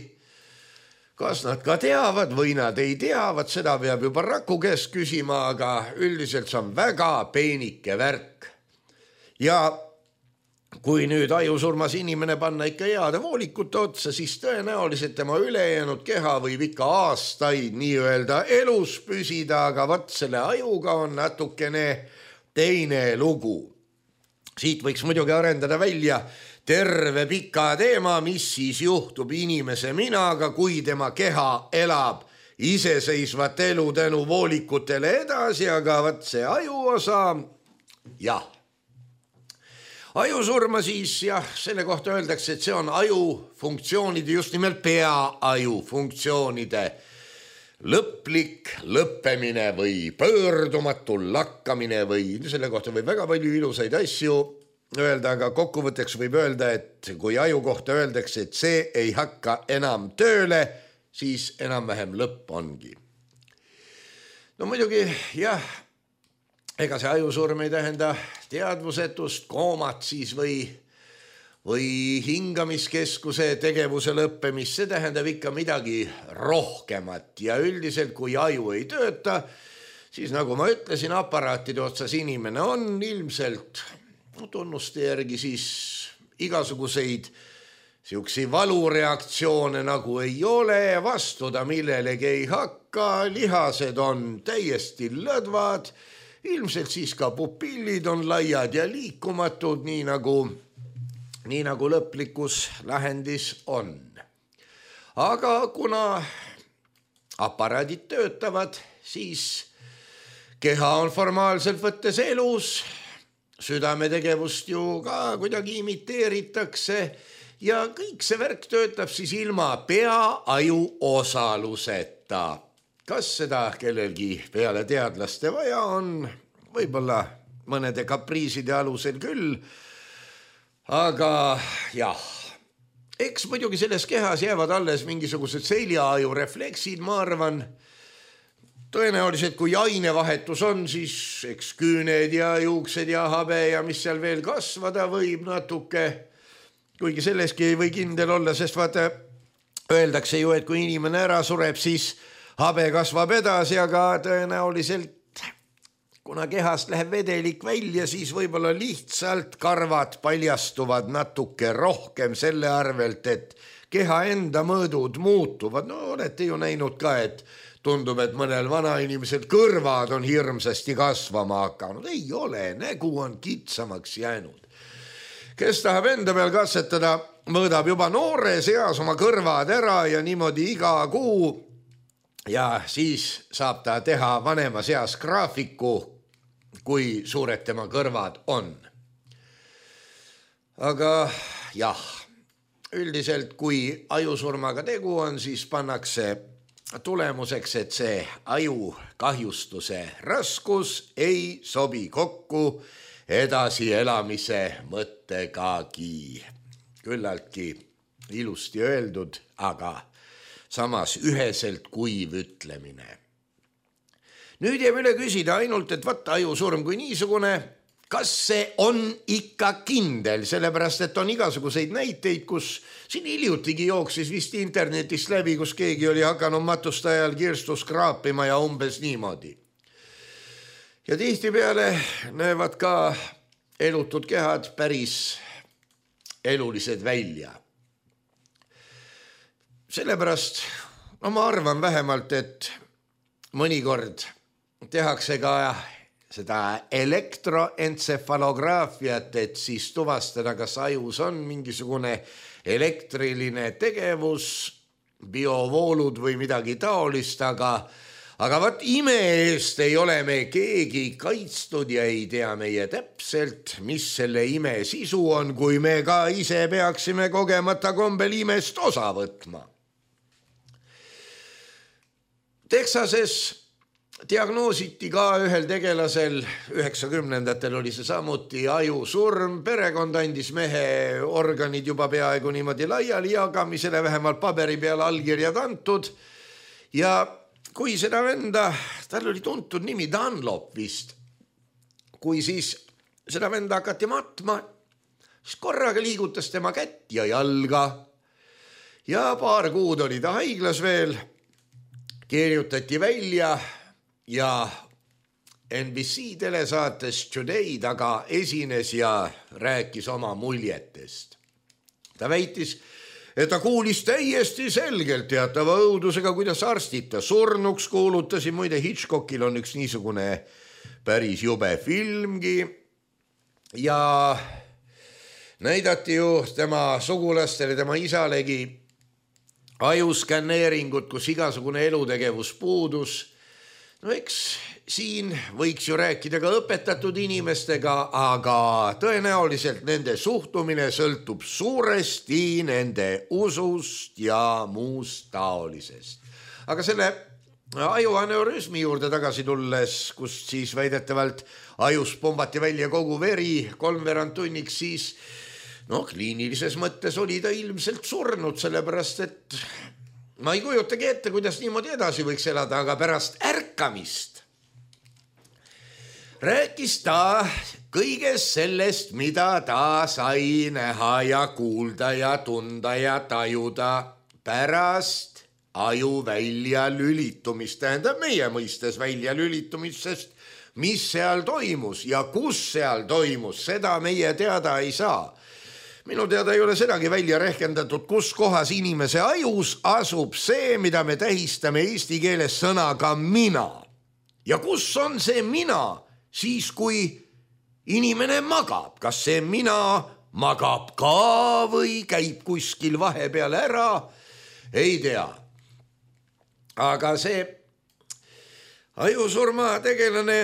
S2: Kas nad ka teavad või nad ei teavad, seda peab juba raku käest küsima, aga üldiselt see on väga peenike värk. Ja kui nüüd ajusurmas inimene panna ikka heade voolikute otsa, siis tõenäoliselt tema ülejäänud keha võib ikka aastaid nii-öelda elus püsida, aga vat selle ajuga on natukene teine lugu. Siit võiks muidugi arendada välja terve pika teema, mis siis juhtub inimese minaga, kui tema keha elab iseseisvat elu tänu voolikutele edasi, aga vat see ajuosa, jah. Ajusurma siis, jah, selle kohta öeldakse, et see on ajufunktsioonide, just nimelt peaaju funktsioonide lõplik lõppemine või pöördumatu lakkamine või selle kohta võib väga palju ilusaid asju öelda, aga kokkuvõtteks võib öelda, et kui aju kohta öeldakse, et see ei hakka enam tööle, siis enam-vähem lõpp ongi. No muidugi, jah, ega see ajusurm ei tähenda teadvusetust, koomat siis või, või hingamiskeskuse tegevuse lõppemist, see tähendab ikka midagi rohkemat ja üldiselt, kui aju ei tööta, siis nagu ma ütlesin, aparaatide otsas inimene on ilmselt tunnuste järgi siis igasuguseid siuksi valureaktsioone nagu ei ole, vastuda millelegi ei hakka, lihased on täiesti lõdvad, ilmselt siis ka pupillid on laiad ja liikumatud, nii nagu, nii nagu lõplikus lähendis on. Aga kuna aparaadid töötavad, siis keha on formaalselt võttes elus, südametegevust ju ka kuidagi imiteeritakse ja kõik see värk töötab siis ilma pea-aju osaluseta. Kas seda kellelgi peale teadlaste vaja on? Võib-olla mõnede kapriiside alusel küll, aga jah, eks muidugi selles kehas jäävad alles mingisugused seljaaju refleksid, ma arvan. Tõenäoliselt, kui ainevahetus on, siis eks küüned ja juuksed ja habe ja mis seal veel kasvada võib natuke, kuigi selleski ei või kindel olla, sest vaata, öeldakse ju, et kui inimene ära sureb, siis habe kasvab edasi, aga tõenäoliselt, kuna kehast läheb vedelik välja, siis võib-olla lihtsalt karvad paljastuvad natuke rohkem selle arvelt, et keha enda mõõdud muutuvad. No olete ju näinud ka, et tundub, et mõnel vanainimesel kõrvad on hirmsasti kasvama hakanud. Ei ole, nägu on kitsamaks jäänud. Kes tahab enda peal katsetada, mõõdab juba noores eas oma kõrvad ära ja niimoodi iga kuu ja siis saab ta teha vanemas eas graafiku, kui suured tema kõrvad on. Aga jah, üldiselt kui ajusurmaga tegu on, siis pannakse tulemuseks, et see aju kahjustuse raskus ei sobi kokku edasi elamise mõttegagi. Küllaltki ilusti öeldud, aga samas üheselt kuiv ütlemine. Nüüd jääb üle küsida ainult, et vaata ajusurm kui niisugune, kas see on ikka kindel, sellepärast, et on igasuguseid näiteid, kus siin hiljutigi jooksis vist internetist läbi, kus keegi oli hakanud matuste ajal kirstus kraapima ja umbes niimoodi. Ja tihtipeale näevad ka elutud kehad päris elulised välja. Sellepärast, no ma arvan vähemalt, et mõnikord tehakse ka seda elektroentsefalograafiat, et siis tuvastada, kas ajus on mingisugune elektriline tegevus, biovoolud või midagi taolist, aga, aga vaat ime eest ei ole me keegi kaitstud ja ei tea meie täpselt, mis selle ime sisu on, kui me ka ise peaksime kogemata kombel imest osa võtma. Texases diagnoositi ka ühel tegelasel, üheksakümnendatel oli see samuti ajusurm, perekond andis mehe organid juba peaaegu niimoodi laiali jagamisele, vähemalt paberi peal allkirjad antud ja kui seda venda, tal oli tuntud nimi Dunlop vist, kui siis seda venda hakati matma, siis korraga liigutas tema kätt ja jalga ja paar kuud oli ta haiglas veel, kirjutati välja ja N B C telesaates Today taga esines ja rääkis oma muljetest. Ta väitis, et ta kuulis täiesti selgelt teatava õudusega, kuidas arstid ta surnuks kuulutasid. Muide, Hitchcockil on üks niisugune päris jube filmgi ja näidati ju tema sugulastele, tema isalegi ajuskänneeringut, kus igasugune elutegevus puudus. No eks siin võiks ju rääkida ka õpetatud inimestega, aga tõenäoliselt nende suhtumine sõltub suuresti nende usust ja muust taolisest. Aga selle ajuaneurismi juurde tagasi tulles, kust siis väidetavalt ajus pumbati välja kogu veri kolmveerand tunniks, siis no kliinilises mõttes oli ta ilmselt surnud, sellepärast et ma ei kujutagi ette, kuidas niimoodi edasi võiks elada, aga pärast ärkamist rääkis ta kõigest sellest, mida ta sai näha ja kuulda ja tunda ja tajuda pärast aju välja lülitumist, tähendab meie mõistes välja lülitumist, sest mis seal toimus ja kus seal toimus, seda meie teada ei saa. Minu teada ei ole sedagi välja rehkendatud, kus kohas inimese ajus asub see, mida me tähistame eesti keeles sõnaga mina. Ja kus on see mina siis, kui inimene magab? Kas see mina magab ka või käib kuskil vahepeal ära? Ei tea. Aga see ajusurma tegelane,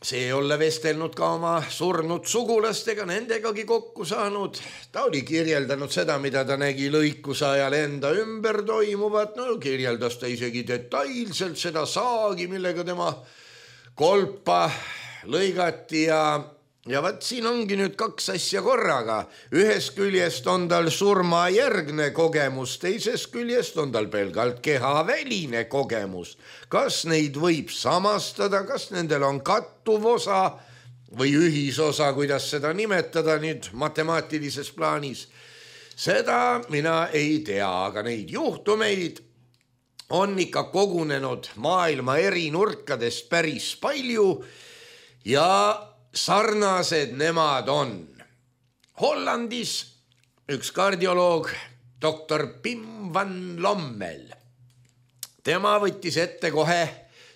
S2: see ei ole vestelnud ka oma surnud sugulastega, nendegagi kokku saanud. Ta oli kirjeldanud seda, mida ta nägi lõikuse ajal enda ümber toimuvat. No kirjeldas ta isegi detailselt seda saagi, millega tema kolpa lõigati ja Ja vaat siin ongi nüüd kaks asja korraga. Ühest küljest on tal surmajärgne kogemus, teisest küljest on tal pelgalt kehaväline kogemus. Kas neid võib samastada, kas nendel on kattuv osa või ühisosa, kuidas seda nimetada nüüd matemaatilises plaanis? Seda mina ei tea, aga neid juhtumeid on ikka kogunenud maailma eri nurkadest päris palju ja sarnased nemad on. Hollandis üks kardioloog, doktor Pim van Lommel. Tema võttis ette kohe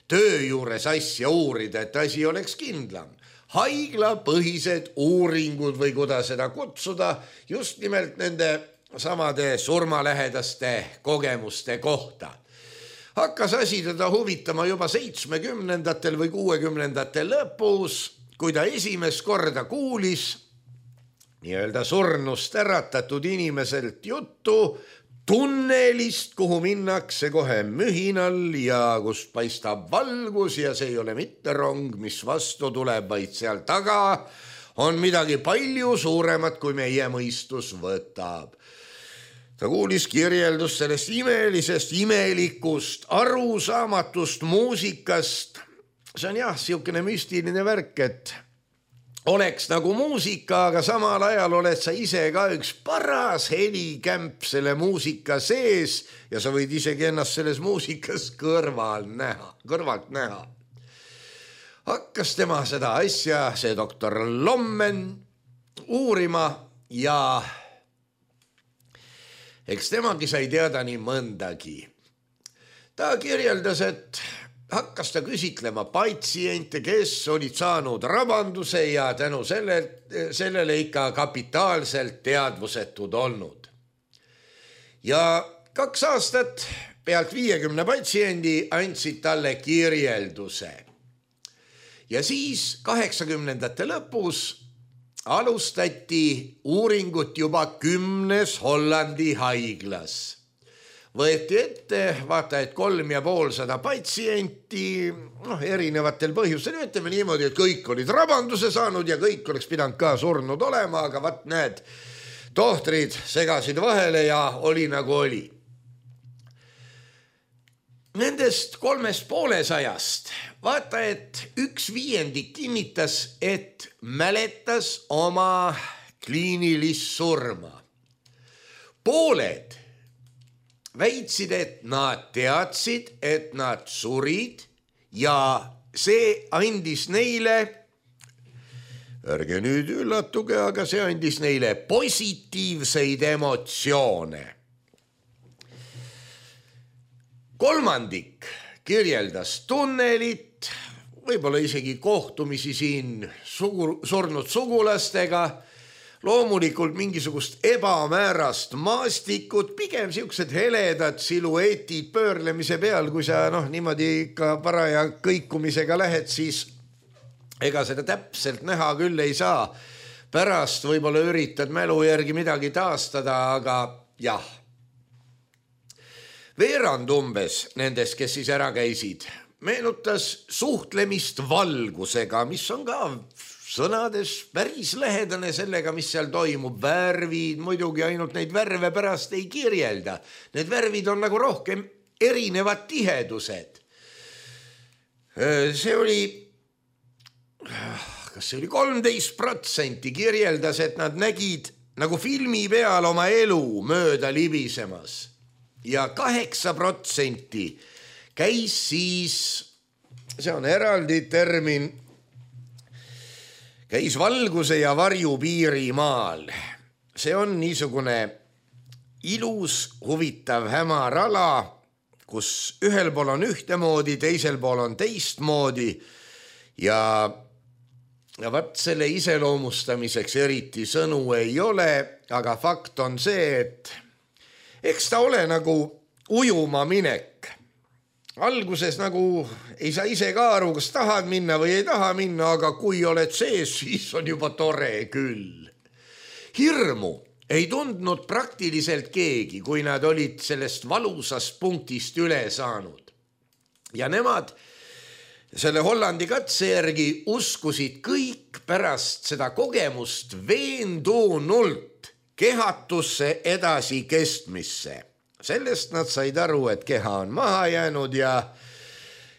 S2: töö juures asja uurida, et asi oleks kindlam. Haiglapõhised uuringud või kuidas seda kutsuda just nimelt nende samade surmalähedaste kogemuste kohta. Hakkas asi teda huvitama juba seitsmekümnendatel või kuuekümnendatel lõpus, kui ta esimest korda kuulis nii-öelda surnust äratatud inimeselt juttu tunnelist, kuhu minnakse kohe mühinal ja kust paistab valgus ja see ei ole mitte rong, mis vastu tuleb, vaid seal taga on midagi palju suuremat, kui meie mõistus võtab. Ta kuulis kirjeldust sellest imelisest, imelikust, arusaamatust muusikast. See on jah, siukene müstiline värk, et oleks nagu muusika, aga samal ajal oled sa ise ka üks paras helikämp selle muusika sees ja sa võid isegi ennast selles muusikas kõrval näha, kõrvalt näha. Hakkas tema seda asja, see doktor Lommen, uurima ja eks temagi sai teada nii mõndagi. Ta kirjeldas, et hakkas ta küsitlema patsiente, kes olid saanud rabanduse ja tänu selle, sellele ikka kapitaalselt teadvusetud olnud. Ja kaks aastat pealt viiekümne patsiendi andsid talle kirjelduse. Ja siis kaheksakümnendate lõpus alustati uuringut juba kümnes Hollandi haiglas. Võeti ette, vaata, et kolm ja pool sada patsienti, noh, erinevatel põhjustel, ütleme niimoodi, et kõik olid rabanduse saanud ja kõik oleks pidanud ka surnud olema, aga vaat need tohtrid segasid vahele ja oli nagu oli. Nendest kolmest poolesajast, vaata, et üks viiendik kinnitas, et mäletas oma kliinilist surma. Pooled väitsid, et nad teadsid, et nad surid ja see andis neile, ärge nüüd üllatuge, aga see andis neile positiivseid emotsioone. Kolmandik kirjeldas tunnelit, võib-olla isegi kohtumisi siin sugu, surnud sugulastega, loomulikult mingisugust ebamäärast maastikut, pigem siuksed heledad siluetid pöörlemise peal, kui sa noh, niimoodi ikka paraja kõikumisega lähed, siis ega seda täpselt näha küll ei saa. Pärast võib-olla üritad mälu järgi midagi taastada, aga jah. veerand umbes nendest, kes siis ära käisid, meenutas suhtlemist valgusega, mis on ka sõnades päris lähedane sellega, mis seal toimub. Värvid muidugi ainult neid värve pärast ei kirjelda. Need värvid on nagu rohkem erinevad tihedused. See oli, kas see oli kolmteist protsenti kirjeldas, et nad nägid nagu filmi peal oma elu mööda libisemas. Ja kaheksa protsenti käis siis, see on eraldi termin, käis valguse ja varju piirimaal. See on niisugune ilus, huvitav hämar ala, kus ühel pool on ühtemoodi, teisel pool on teistmoodi ja, ja vaat selle iseloomustamiseks eriti sõnu ei ole, aga fakt on see, et eks ta ole nagu ujuma minek. Alguses nagu ei saa ise ka aru, kas tahad minna või ei taha minna, aga kui oled sees, siis on juba tore küll. Hirmu ei tundnud praktiliselt keegi, kui nad olid sellest valusast punktist üle saanud. Ja nemad selle Hollandi katse järgi uskusid kõik pärast seda kogemust veendunult kehatusse edasi kestmisse. Sellest nad said aru, et keha on maha jäänud ja,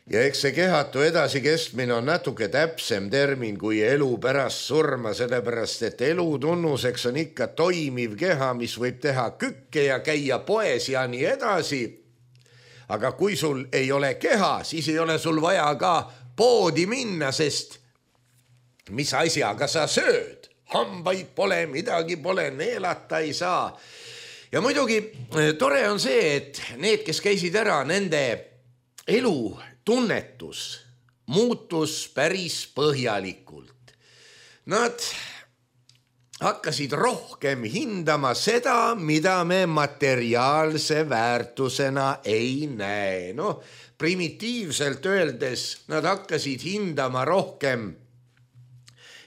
S2: ja eks see kehatu edasi kestmine on natuke täpsem termin kui elu pärast surma, sellepärast et elu tunnuseks on ikka toimiv keha, mis võib teha kükke ja käia poes ja nii edasi. Aga kui sul ei ole keha, siis ei ole sul vaja ka poodi minna, sest mis asjaga sa sööd? Hambaid pole, midagi pole, neelata ei saa. Ja muidugi tore on see, et need, kes käisid ära, nende elu tunnetus muutus päris põhjalikult. Nad hakkasid rohkem hindama seda, mida me materiaalse väärtusena ei näe. No, primitiivselt öeldes nad hakkasid hindama rohkem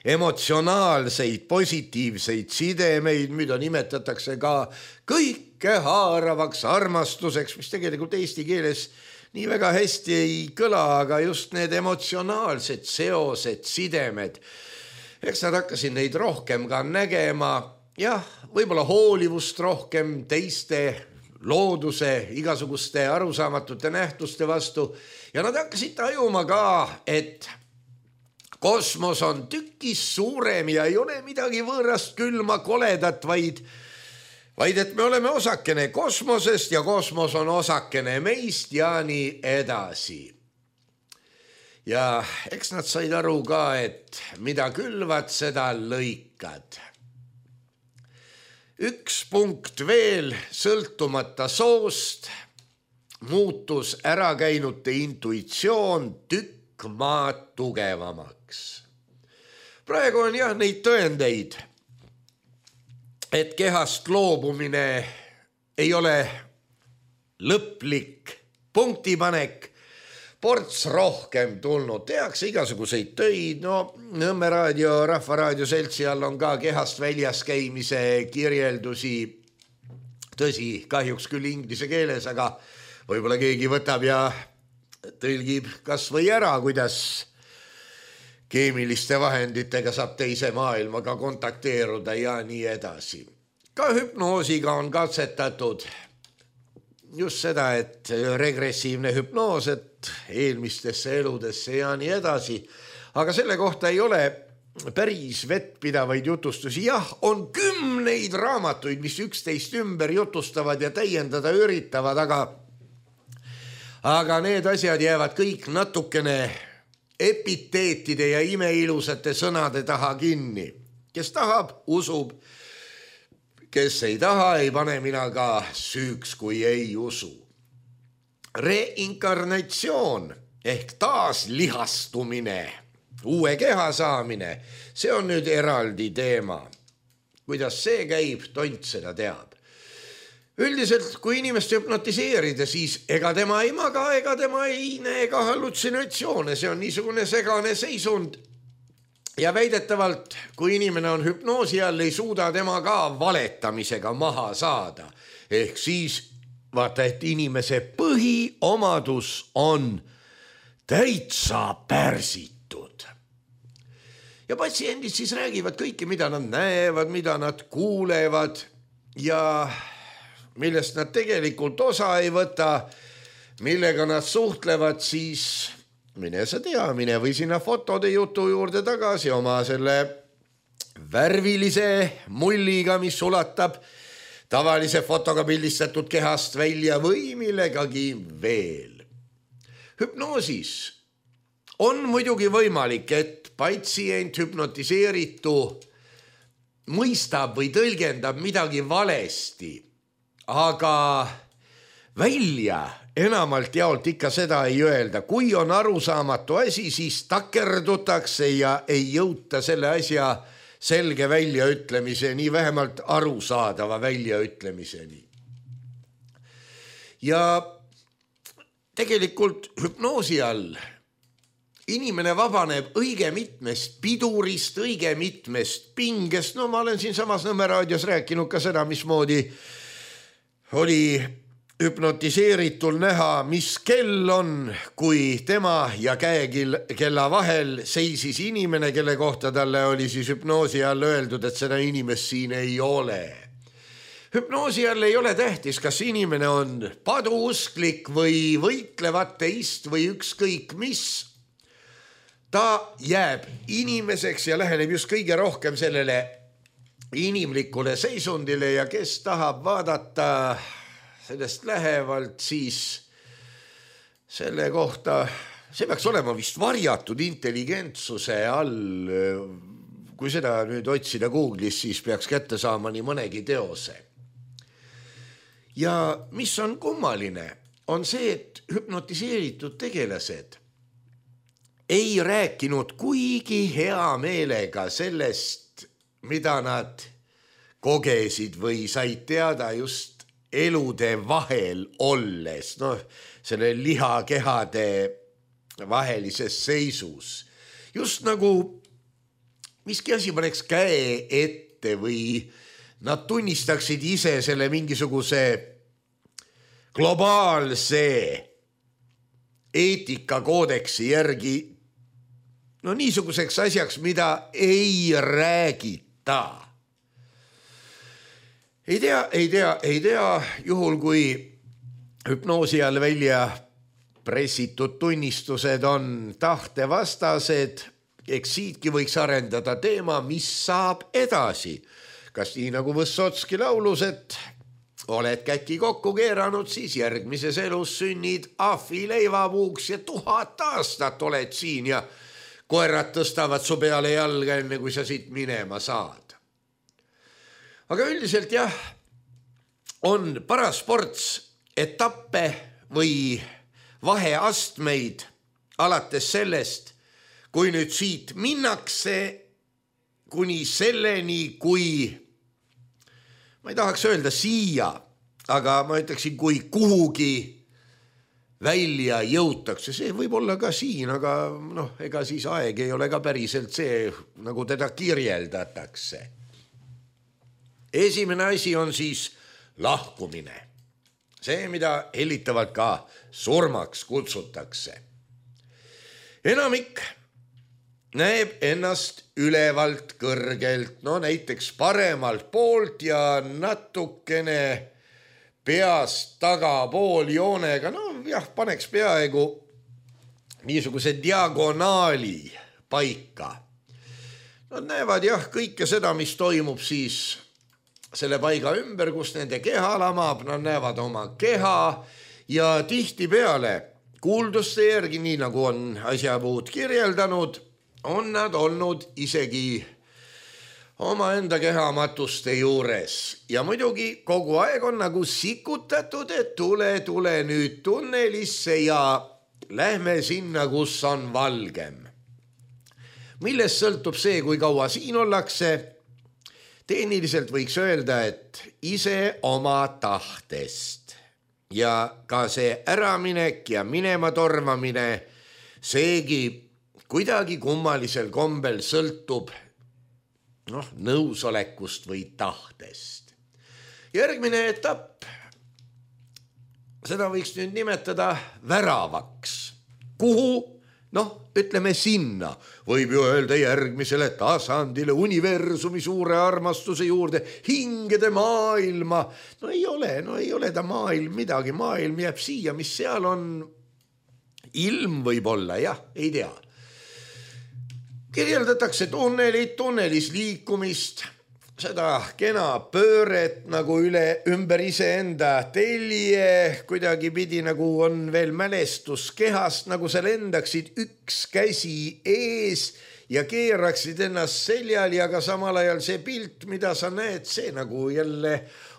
S2: emotsionaalseid, positiivseid sidemeid, mida nimetatakse ka kõike haaravaks armastuseks, mis tegelikult eesti keeles nii väga hästi ei kõla, aga just need emotsionaalsed seosed, sidemed. Eks nad hakkasid neid rohkem ka nägema, jah, võib-olla hoolivust rohkem teiste looduse, igasuguste arusaamatute nähtuste vastu ja nad hakkasid tajuma ka, et kosmos on tükis suurem ja ei ole midagi võõrast külma koledat, vaid, vaid et me oleme osakene kosmosest ja kosmos on osakene meist ja nii edasi. Ja eks nad said aru ka, et mida külvad, seda lõikad. Üks punkt veel, sõltumata soost, muutus ärakäinute intuitsioon tükk maad tugevamaks. Praegu on jah neid tõendeid, et kehast loobumine ei ole lõplik punktipanek, ports rohkem tulnud, tehakse igasuguseid töid, no Nõmme raadio, Rahvaraadio seltsi all on ka kehast väljas käimise kirjeldusi, tõsi, kahjuks küll inglise keeles, aga võib-olla keegi võtab ja tõlgib kas või ära, kuidas keemiliste vahenditega saab teise maailmaga kontakteeruda ja nii edasi. Ka hüpnoosiga on katsetatud just seda, et regressiivne hüpnoos, et eelmistesse eludesse ja nii edasi. Aga selle kohta ei ole päris vettpidavaid jutustusi. Jah, on kümneid raamatuid, mis üksteist ümber jutustavad ja täiendada üritavad, aga, aga need asjad jäävad kõik natukene epiteetide ja imeilusate sõnade taha kinni. Kes tahab, usub. Kes ei taha, ei pane mina ka süüks, kui ei usu. Reinkarnatsioon ehk taaslihastumine, uue keha saamine, see on nüüd eraldi teema. Kuidas see käib, tont seda teab. Üldiselt, kui inimest hüpnotiseerida, siis ega tema ei maga, ega tema ei näe ka hallutsinatsioone. See on niisugune segane seisund. Ja väidetavalt, kui inimene on hüpnoosi all, ei suuda tema ka valetamisega maha saada. Ehk siis vaata, et inimese põhiomadus on täitsa pärsitud. Ja patsiendid siis räägivad kõike, mida nad näevad, mida nad kuulevad ja millest nad tegelikult osa ei võta, millega nad suhtlevad, siis mine sa tea, mine või sinna fotode jutu juurde tagasi oma selle värvilise mulliga, mis ulatab tavalise fotoga pildistatud kehast välja või millegagi veel. Hüpnoosis on muidugi võimalik, et patsient hüpnotiseeritu mõistab või tõlgendab midagi valesti, aga välja enamalt jaolt ikka seda ei öelda. Kui on arusaamatu asi, siis takerdutakse ja ei jõuta selle asja selge väljaütlemiseni, vähemalt arusaadava väljaütlemiseni. Ja tegelikult hüpnoosi all inimene vabaneb õige mitmest pidurist, õige mitmest pingest. No ma olen siin samas Nõmme raadios rääkinud ka seda, mismoodi oli hüpnotiseeritul näha, mis kell on, kui tema ja käekella vahel seisis inimene, kelle kohta talle oli siis hüpnoosi all öeldud, et seda inimest siin ei ole. Hüpnoosi all ei ole tähtis, kas inimene on paduusklik või võitlev ateist või ükskõik mis. Ta jääb inimeseks ja läheneb just kõige rohkem sellele inimlikule seisundile ja kes tahab vaadata sellest lähevalt, siis selle kohta, see peaks olema vist varjatud intelligentsuse all. Kui seda nüüd otsida Google'is, siis peaks kätte saama nii mõnegi teose. Ja mis on kummaline, on see, et hüpnotiseeritud tegelased ei rääkinud kuigi hea meelega sellest, mida nad kogesid või said teada just elude vahel olles, noh, selle lihakehade vahelises seisus. Just nagu miski asi paneks käe ette või nad tunnistaksid ise selle mingisuguse globaalse eetikakoodeksi järgi no niisuguseks asjaks, mida ei räägita. Ei tea, ei tea, ei tea, juhul kui hüpnoosi all välja pressitud tunnistused on tahtevastased, eks siitki võiks arendada teema, mis saab edasi. Kas nii nagu Võssotski laulus, et oled käki kokku keeranud, siis järgmises elus sünnid ahvi leivapuuks ja tuhat aastat oled siin ja koerad tõstavad su peale jalga, enne kui sa siit minema saad. Aga üldiselt jah, on parasports etappe või vaheastmeid alates sellest, kui nüüd siit minnakse kuni selleni, kui, ma ei tahaks öelda siia, aga ma ütleksin, kui kuhugi välja jõutakse. See võib olla ka siin, aga noh, ega siis aeg ei ole ka päriselt see, nagu teda kirjeldatakse. Esimene asi on siis lahkumine. See, mida hellitavalt ka surmaks kutsutakse. Enamik näeb ennast ülevalt kõrgelt, no näiteks paremalt poolt ja natukene peast tagapool joonega, no jah, paneks peaaegu niisuguse diagonaali paika. Nad näevad jah kõike seda, mis toimub siis selle paiga ümber, kus nende keha lamab, nad näevad oma keha ja tihtipeale kuulduste järgi, nii nagu on asjapuud kirjeldanud, on nad olnud isegi oma enda kehamatuste juures. Ja muidugi kogu aeg on nagu sikutatud, et tule, tule nüüd tunnelisse ja lähme sinna, kus on valgem. Millest sõltub see, kui kaua siin ollakse? Tehniliselt võiks öelda, et ise oma tahtest. Ja ka see äraminek ja minema tormamine, seegi kuidagi kummalisel kombel sõltub noh, nõusolekust või tahtest. Järgmine etapp seda võiks nüüd nimetada väravaks. Kuhu? Noh, ütleme sinna. Võib ju öelda järgmisele tasandile, universumi suure armastuse juurde, hingede maailma. No ei ole, no ei ole ta maailm midagi. Maailm jääb siia, mis seal on. Ilm võib olla, jah, ei tea. Kirjeldatakse tunnelit, tunnelis liikumist, seda kena pööret nagu üle ümber iseenda telje, kuidagi pidi nagu on veel mälestus kehast, nagu sa lendaksid üks käsi ees ja keeraksid ennast seljal ja ka samal ajal see pilt, mida sa näed, see nagu jälle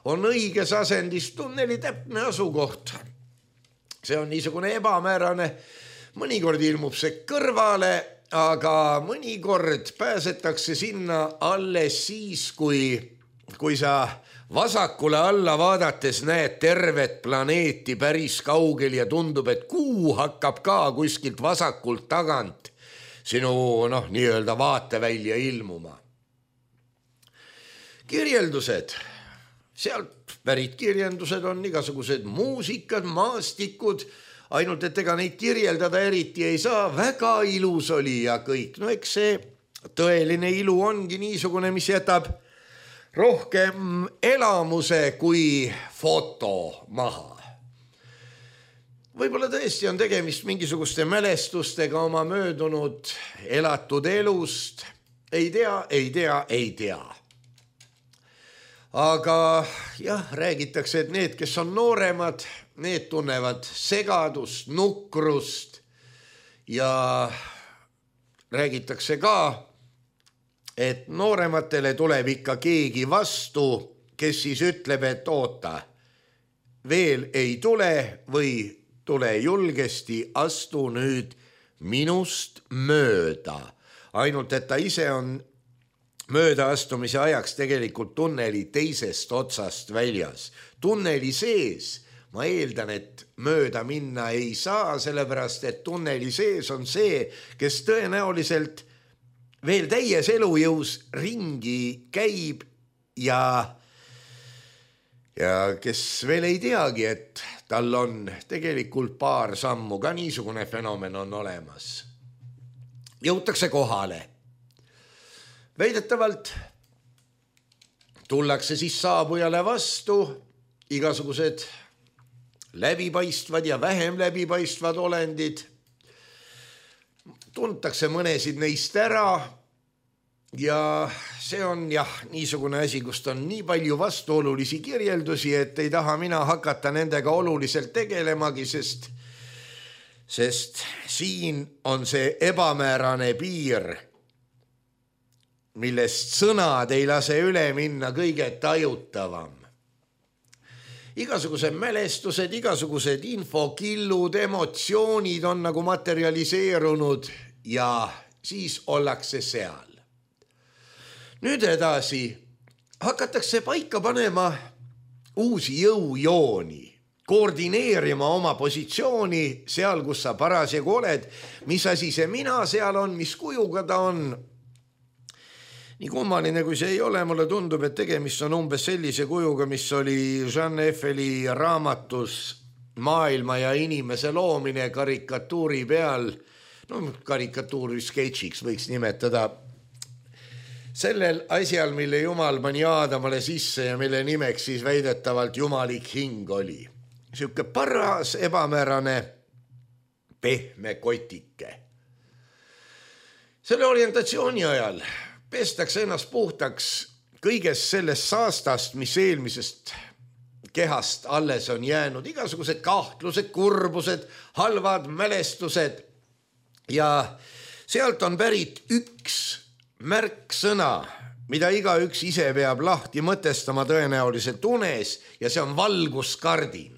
S2: on õiges asendis tunneli täpne asukoht. See on niisugune ebamäärane, mõnikord ilmub see kõrvale, aga mõnikord pääsetakse sinna alles siis, kui, kui sa vasakule alla vaadates näed tervet planeeti päris kaugel ja tundub, et kuu hakkab ka kuskilt vasakult tagant sinu noh, nii-öelda vaatevälja ilmuma. Kirjeldused. Sealt pärit kirjeldused on igasugused muusikad, maastikud, ainult et ega neid kirjeldada eriti ei saa, väga ilus oli ja kõik. No eks see tõeline ilu ongi niisugune, mis jätab rohkem elamuse kui foto maha. Võib-olla tõesti on tegemist mingisuguste mälestustega oma möödunud elatud elust. Ei tea, ei tea, ei tea. Aga jah, räägitakse, et need, kes on nooremad, need tunnevad segadust, nukrust ja räägitakse ka, et noorematele tuleb ikka keegi vastu, kes siis ütleb, et oota, veel ei tule või tule julgesti, astu nüüd minust mööda. Ainult, et ta ise on möödaastumise ajaks tegelikult tunneli teisest otsast väljas. Tunneli sees ma eeldan, et mööda minna ei saa, sellepärast, et tunneli sees on see, kes tõenäoliselt veel täies elujõus ringi käib ja, ja kes veel ei teagi, et tal on tegelikult paar sammu, ka niisugune fenomen on olemas. Jõutakse kohale. Väidetavalt tullakse siis saabujale vastu, igasugused läbipaistvad ja vähem läbipaistvad olendid. Tuntakse mõnesid neist ära ja see on jah, niisugune asi, kust on nii palju vastuolulisi kirjeldusi, et ei taha mina hakata nendega oluliselt tegelemagi, sest, sest siin on see ebamäärane piir, millest sõnad ei lase üle minna kõige tajutavam. Igasugused mälestused, igasugused infokillud, emotsioonid on nagu materialiseerunud ja siis ollakse seal. Nüüd edasi hakatakse paika panema uusi jõujooni, koordineerima oma positsiooni seal, kus sa parasjagu oled, mis asi see mina seal on, mis kujuga ta on. Nii kummaline kui see ei ole, mulle tundub, et tegemist on umbes sellise kujuga, mis oli Jean Effeli raamatus Maailma ja inimese loomine karikatuuri peal, no karikatuuri sketšiks võiks nimetada, sellel asjal, mille Jumal pani Aadamale sisse ja mille nimeks siis väidetavalt jumalik hing oli. Siuke paras, ebamäärane, pehme kotike. Selle orientatsiooni ajal pestakse ennast puhtaks kõigest sellest saastast, mis eelmisest kehast alles on jäänud, igasugused kahtlused, kurbused, halvad mälestused ja sealt on pärit üks märksõna, mida igaüks ise peab lahti mõtestama tõenäoliselt unes ja see on valguskardin.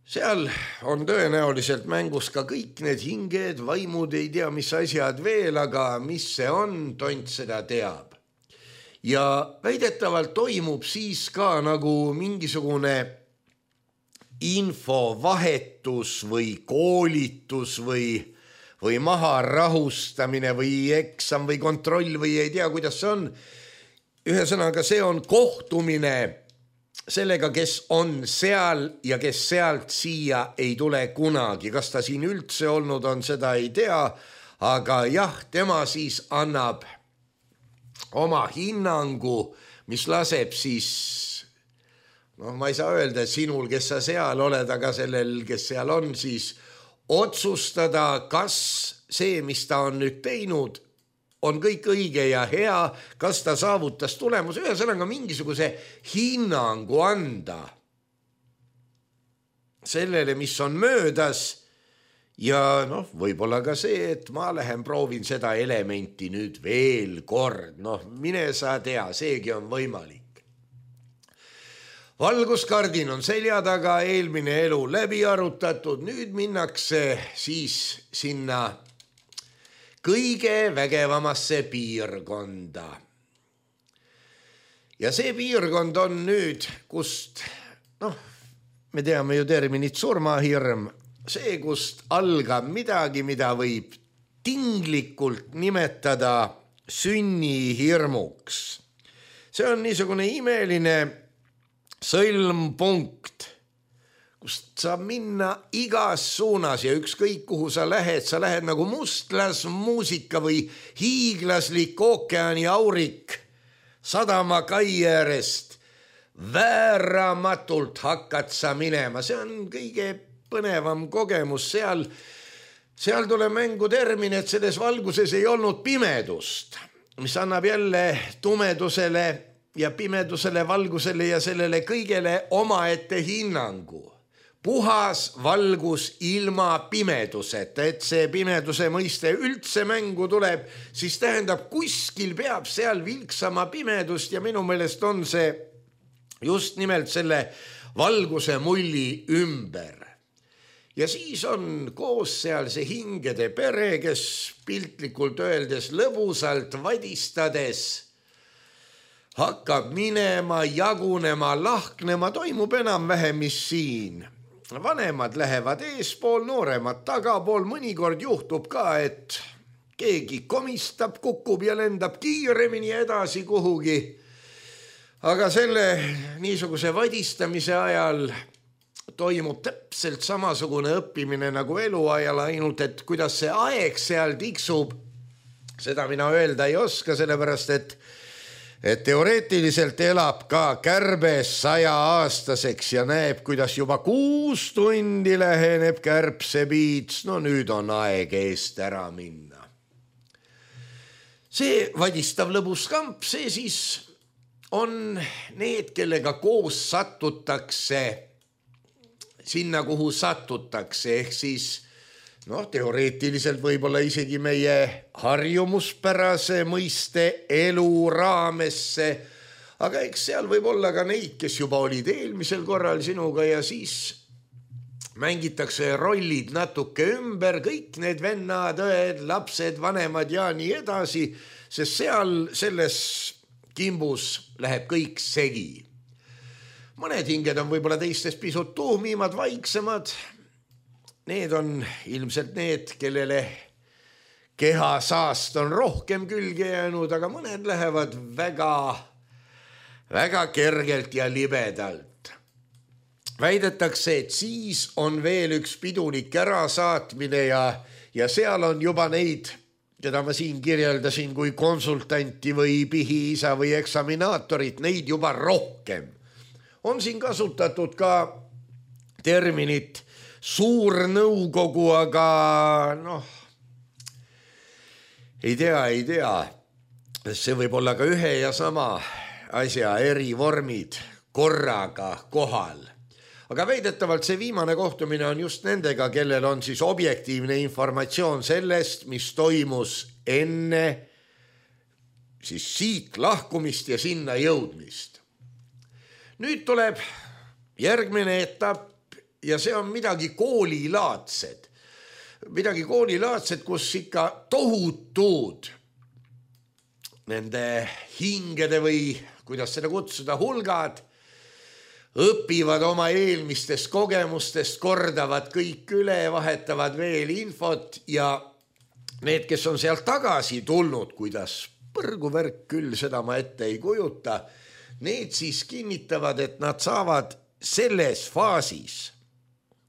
S2: Seal on tõenäoliselt mängus ka kõik need hinged, vaimud, ei tea mis asjad veel, aga mis see on, tont seda teab. Ja väidetavalt toimub siis ka nagu mingisugune infovahetus või koolitus või, või maharahustamine või eksam või kontroll või ei tea, kuidas see on. Ühesõnaga, see on kohtumine sellega, kes on seal ja kes sealt siia ei tule kunagi. Kas ta siin üldse olnud on, seda ei tea, aga jah, tema siis annab oma hinnangu, mis laseb siis, noh, ma ei saa öelda sinul, kes sa seal oled, aga sellel, kes seal on, siis otsustada, kas see, mis ta on nüüd teinud, on kõik õige ja hea, kas ta saavutas tulemus, ühesõnaga mingisuguse hinnangu anda sellele, mis on möödas ja noh, võib-olla ka see, et ma lähen proovin seda elementi nüüd veel kord, noh, mine sa tea, seegi on võimalik. Valguskardin on selja taga, eelmine elu läbi arutatud, nüüd minnakse siis sinna kõige vägevamasse piirkonda. Ja see piirkond on nüüd, kust, noh, me teame ju terminit surmahirm, see, kust algab midagi, mida võib tinglikult nimetada sünnihirmuks. See on niisugune imeline sõlmpunkt, kust saab minna igas suunas ja ükskõik kuhu sa lähed, sa lähed nagu mustlas muusika või hiiglaslik ookeani aurik sadama kai äärest. Vääramatult hakkad sa minema, see on kõige põnevam kogemus, seal, seal tuleb mängu termin, et selles valguses ei olnud pimedust, mis annab jälle tumedusele ja pimedusele, valgusele ja sellele kõigele omaette hinnangu. Puhas valgus ilma pimeduseta, et see pimeduse mõiste üldse mängu tuleb, siis tähendab, kuskil peab seal vilksama pimedust ja minu meelest on see just nimelt selle valguse mulli ümber. Ja siis on koos seal see hingede pere, kes piltlikult öeldes lõbusalt vadistades hakkab minema, jagunema, lahknema, toimub enam-vähem, mis siin. Vanemad lähevad eespool, nooremad tagapool, mõnikord juhtub ka, et keegi komistab, kukub ja lendab kiiremini edasi kuhugi. Aga selle niisuguse vadistamise ajal toimub täpselt samasugune õppimine nagu eluajal, ainult et kuidas see aeg seal tiksub, seda mina öelda ei oska, sellepärast et et teoreetiliselt elab ka kärbes saja aastaseks ja näeb, kuidas juba kuus tundi läheneb kärbsepiits, no nüüd on aeg eest ära minna. See vadistav lõbus kamp, see siis on need, kellega koos satutakse sinna, kuhu satutakse, ehk siis noh, teoreetiliselt võib-olla isegi meie harjumuspärase mõiste elu raamesse, aga eks seal võib olla ka neid, kes juba olid eelmisel korral sinuga ja siis mängitakse rollid natuke ümber, kõik need vennad, õed, lapsed, vanemad ja nii edasi, sest seal selles kimbus läheb kõik segi. Mõned hinged on võib-olla teistest pisut tuhmimad, vaiksemad. Need on ilmselt need, kellele keha saast on rohkem külge jäänud, aga mõned lähevad väga, väga kergelt ja libedalt. Väidetakse, et siis on veel üks pidulik ärasaatmine ja, ja seal on juba neid, keda ma siin kirjeldasin kui konsultanti või pihiisa või eksaminaatorit, neid juba rohkem. On siin kasutatud ka terminit suur nõukogu, aga noh, ei tea, ei tea. See võib olla ka ühe ja sama asja eri vormid korraga kohal. Aga väidetavalt see viimane kohtumine on just nendega, kellel on siis objektiivne informatsioon sellest, mis toimus enne siis siit lahkumist ja sinna jõudmist. Nüüd tuleb järgmine etapp, ja see on midagi koolilaadsed. Midagi koolilaadsed, kus ikka tohutud nende hingede või, kuidas seda kutsuda, hulgad õpivad oma eelmistest kogemustest, kordavad kõik üle, vahetavad veel infot ja need, kes on sealt tagasi tulnud, kuidas põrguvärk küll, seda ma ette ei kujuta, need siis kinnitavad, et nad saavad selles faasis,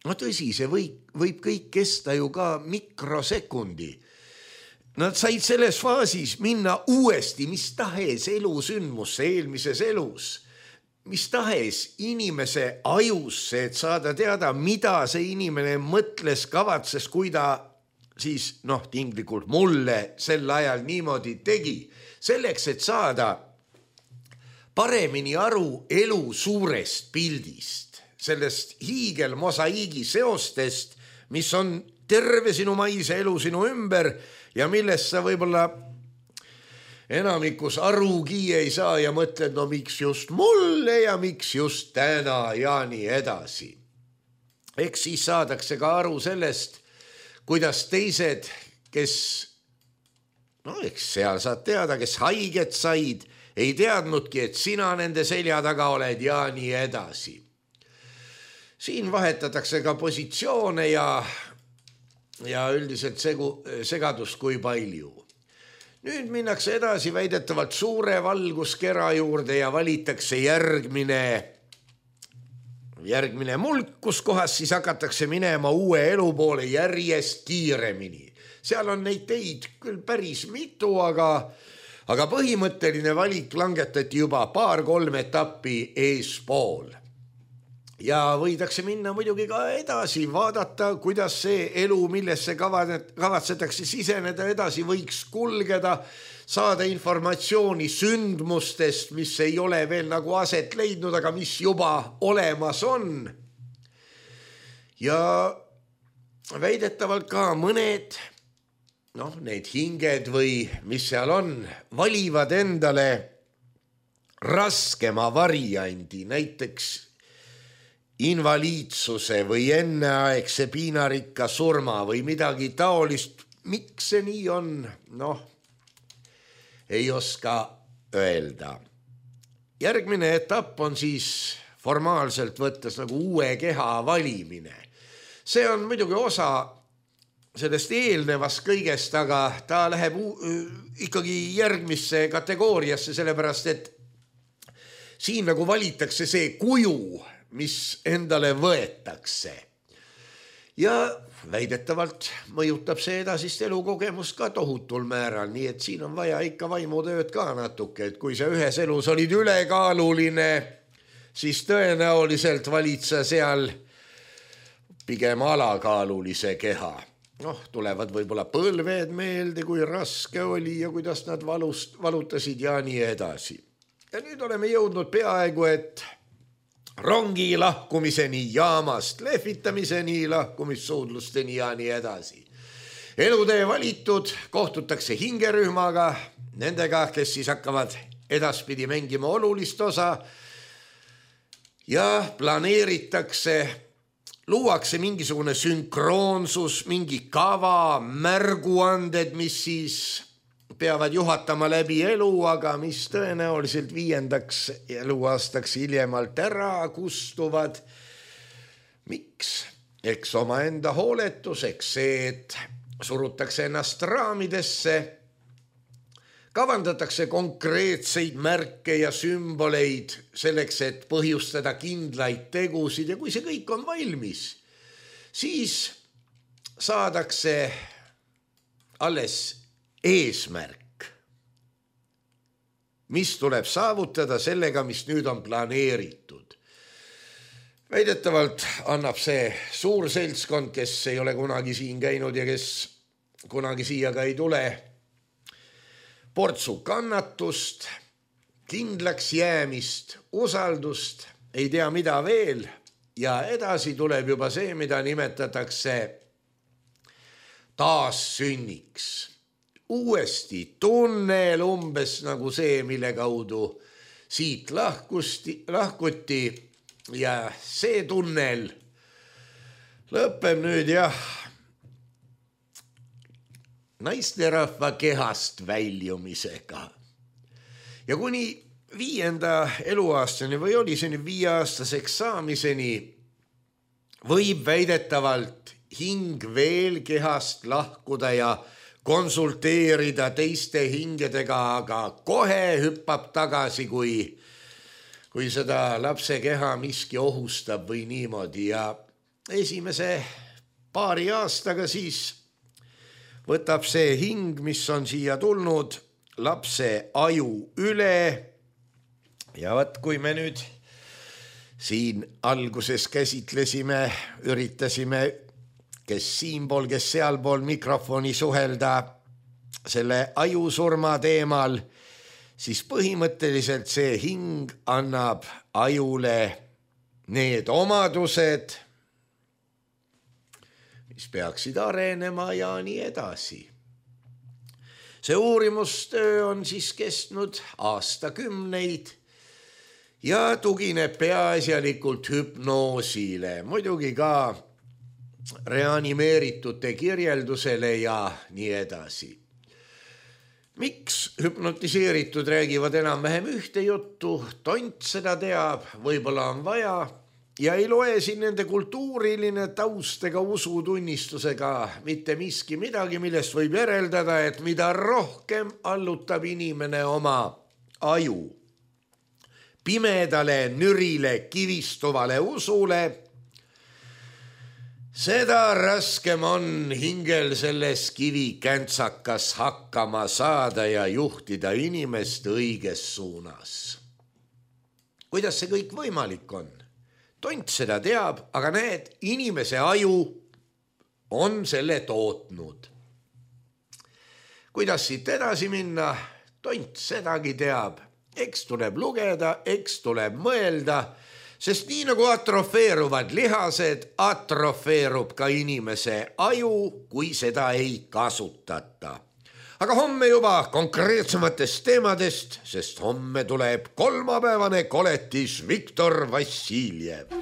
S2: no tõsi, see võib, võib kõik kesta ju ka mikrosekundi. Nad said selles faasis minna uuesti mis tahes elusündmusse eelmises elus, mis tahes inimese ajusse, et saada teada, mida see inimene mõtles, kavatses, kui ta siis noh, tinglikult mulle sel ajal niimoodi tegi. Selleks, et saada paremini aru elu suurest pildist, sellest hiigelmosaiigi seostest, mis on terve sinu maise elu sinu ümber ja millest sa võib-olla enamikus arugi ei saa ja mõtled, no miks just mulle ja miks just täna ja nii edasi. Eks siis saadakse ka aru sellest, kuidas teised, kes, no eks seal saad teada, kes haiget said, ei teadnudki, et sina nende selja taga oled ja nii edasi. Siin vahetatakse ka positsioone ja ja üldiselt segu, segadust kui palju. Nüüd minnakse edasi väidetavalt suure valguskera juurde ja valitakse järgmine, järgmine mulk, kus kohas siis hakatakse minema uue elu poole järjest kiiremini. Seal on neid teid küll päris mitu, aga, aga põhimõtteline valik langetati juba paar-kolm etappi eespool. Ja võidakse minna muidugi ka edasi, vaadata, kuidas see elu, millesse kavatsetakse siseneda edasi, võiks kulgeda, saada informatsiooni sündmustest, mis ei ole veel nagu aset leidnud, aga mis juba olemas on. Ja väidetavalt ka mõned, noh, need hinged või mis seal on, valivad endale raskema variandi, näiteks invaliidsuse või enneaegse piinarikka surma või midagi taolist. Miks see nii on? Noh, ei oska öelda. Järgmine etapp on siis formaalselt võttes nagu uue keha valimine. See on muidugi osa sellest eelnevast kõigest, aga ta läheb ikkagi järgmisse kategooriasse, sellepärast et siin nagu valitakse see kuju, mis endale võetakse. Ja väidetavalt mõjutab see edasist elukogemust ka tohutul määral, nii et siin on vaja ikka vaimutööd ka natuke, et kui sa ühes elus olid ülekaaluline, siis tõenäoliselt valid sa seal pigem alakaalulise keha. Noh, tulevad võib-olla põlved meelde, kui raske oli ja kuidas nad valust, valutasid ja nii edasi. Ja nüüd oleme jõudnud peaaegu, et rongi lahkumiseni, jaamast lehvitamiseni, lahkumissuudlusteni ja nii edasi. Elutee valitud, kohtutakse hingerühmaga, nendega, kes siis hakkavad edaspidi mängima olulist osa ja planeeritakse, luuakse mingisugune sünkroonsus, mingi kava, märguanded, mis siis peavad juhatama läbi elu, aga mis tõenäoliselt viiendaks eluaastaks hiljemalt ära kustuvad. Miks? Eks omaenda hooletus, eks see, et surutakse ennast raamidesse, kavandatakse konkreetseid märke ja sümboleid selleks, et põhjustada kindlaid tegusid ja kui see kõik on valmis, siis saadakse alles eesmärk, mis tuleb saavutada sellega, mis nüüd on planeeritud. Väidetavalt annab see suur seltskond, kes ei ole kunagi siin käinud ja kes kunagi siia ka ei tule, portsu kannatust, kindlaks jäämist, usaldust, ei tea mida veel ja edasi tuleb juba see, mida nimetatakse taassünniks. Uuesti tunnel umbes nagu see, mille kaudu siit lahkusti, lahkuti ja see tunnel lõpeb nüüd jah naisterahva kehast väljumisega. Ja kuni viienda eluaastani või oli see nüüd viieaastaseks saamiseni võib väidetavalt hing veel kehast lahkuda ja konsulteerida teiste hingedega, aga kohe hüppab tagasi, kui kui seda lapse keha miski ohustab või niimoodi ja esimese paari aastaga siis võtab see hing, mis on siia tulnud, lapse aju üle ja võt, kui me nüüd siin alguses käsitlesime, üritasime kes siinpool, kes sealpool mikrofoni suhelda selle ajusurma teemal, siis põhimõtteliselt see hing annab ajule need omadused, mis peaksid arenema ja nii edasi. See uurimustöö on siis kestnud aastakümneid ja tugineb peaasjalikult hüpnoosile, muidugi ka reanimeeritute kirjeldusele ja nii edasi. Miks hüpnotiseeritud räägivad enam-vähem ühte juttu, tont seda teab, võib-olla on vaja ja ei loe siin nende kultuuriline taust ega usutunnistusega mitte miski midagi, millest võib järeldada, et mida rohkem allutab inimene oma aju pimedale, nürile, kivistuvale usule, seda raskem on hingel selles kivikäntsakas hakkama saada ja juhtida inimest õiges suunas. Kuidas see kõik võimalik on? Tont seda teab, aga näed, inimese aju on selle tootnud. Kuidas siit edasi minna? Tont sedagi teab. Eks tuleb lugeda, eks tuleb mõelda, sest nii nagu atrofeeruvad lihased, atrofeerub ka inimese aju, kui seda ei kasutata. Aga homme juba konkreetsematest teemadest, sest homme tuleb kolmapäevane koletis Viktor Vassiljev.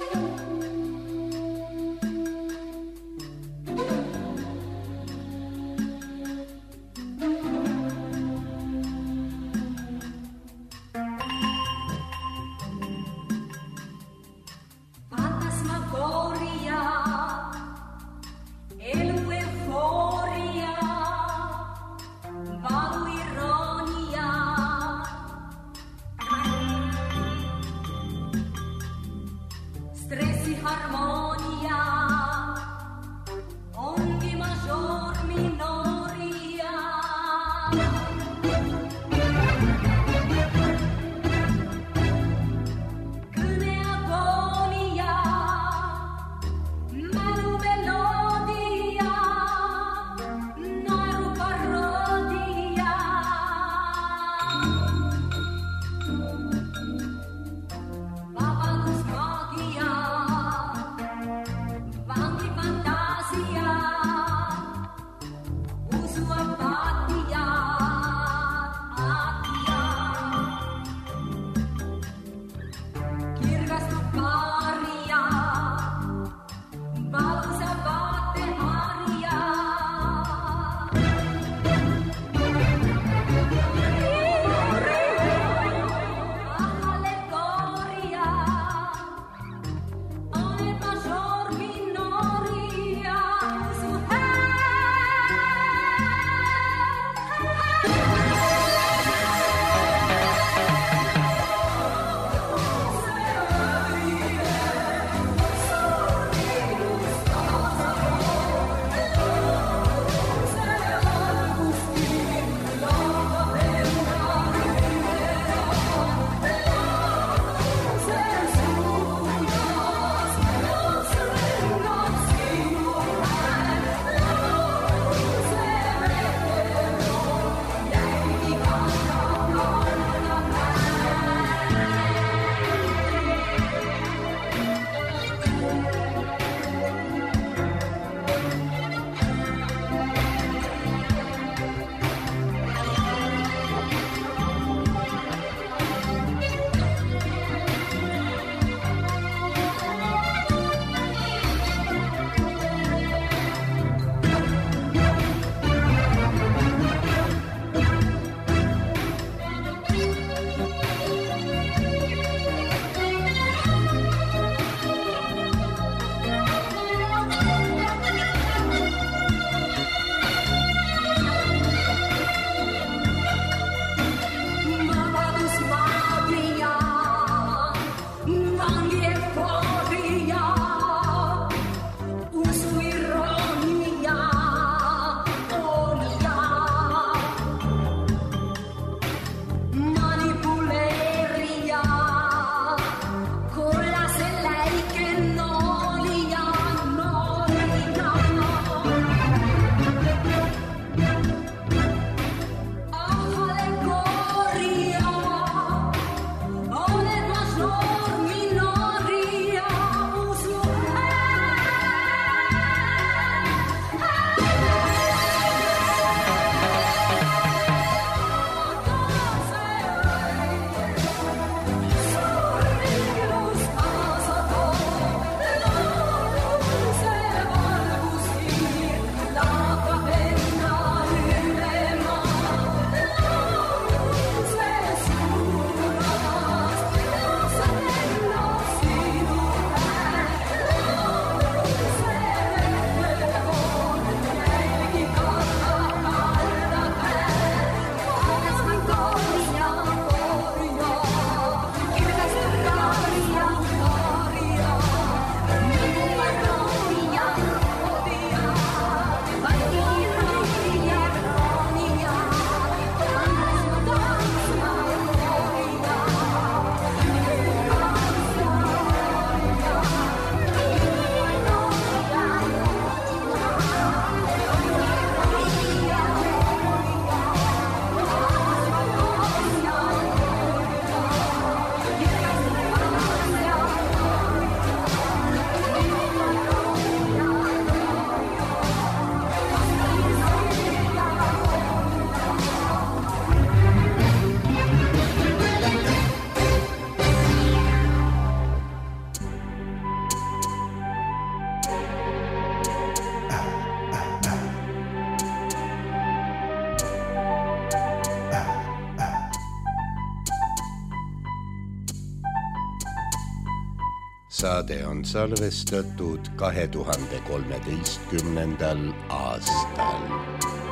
S2: saade on salvestatud kahe tuhande kolmeteistkümnendal aastal.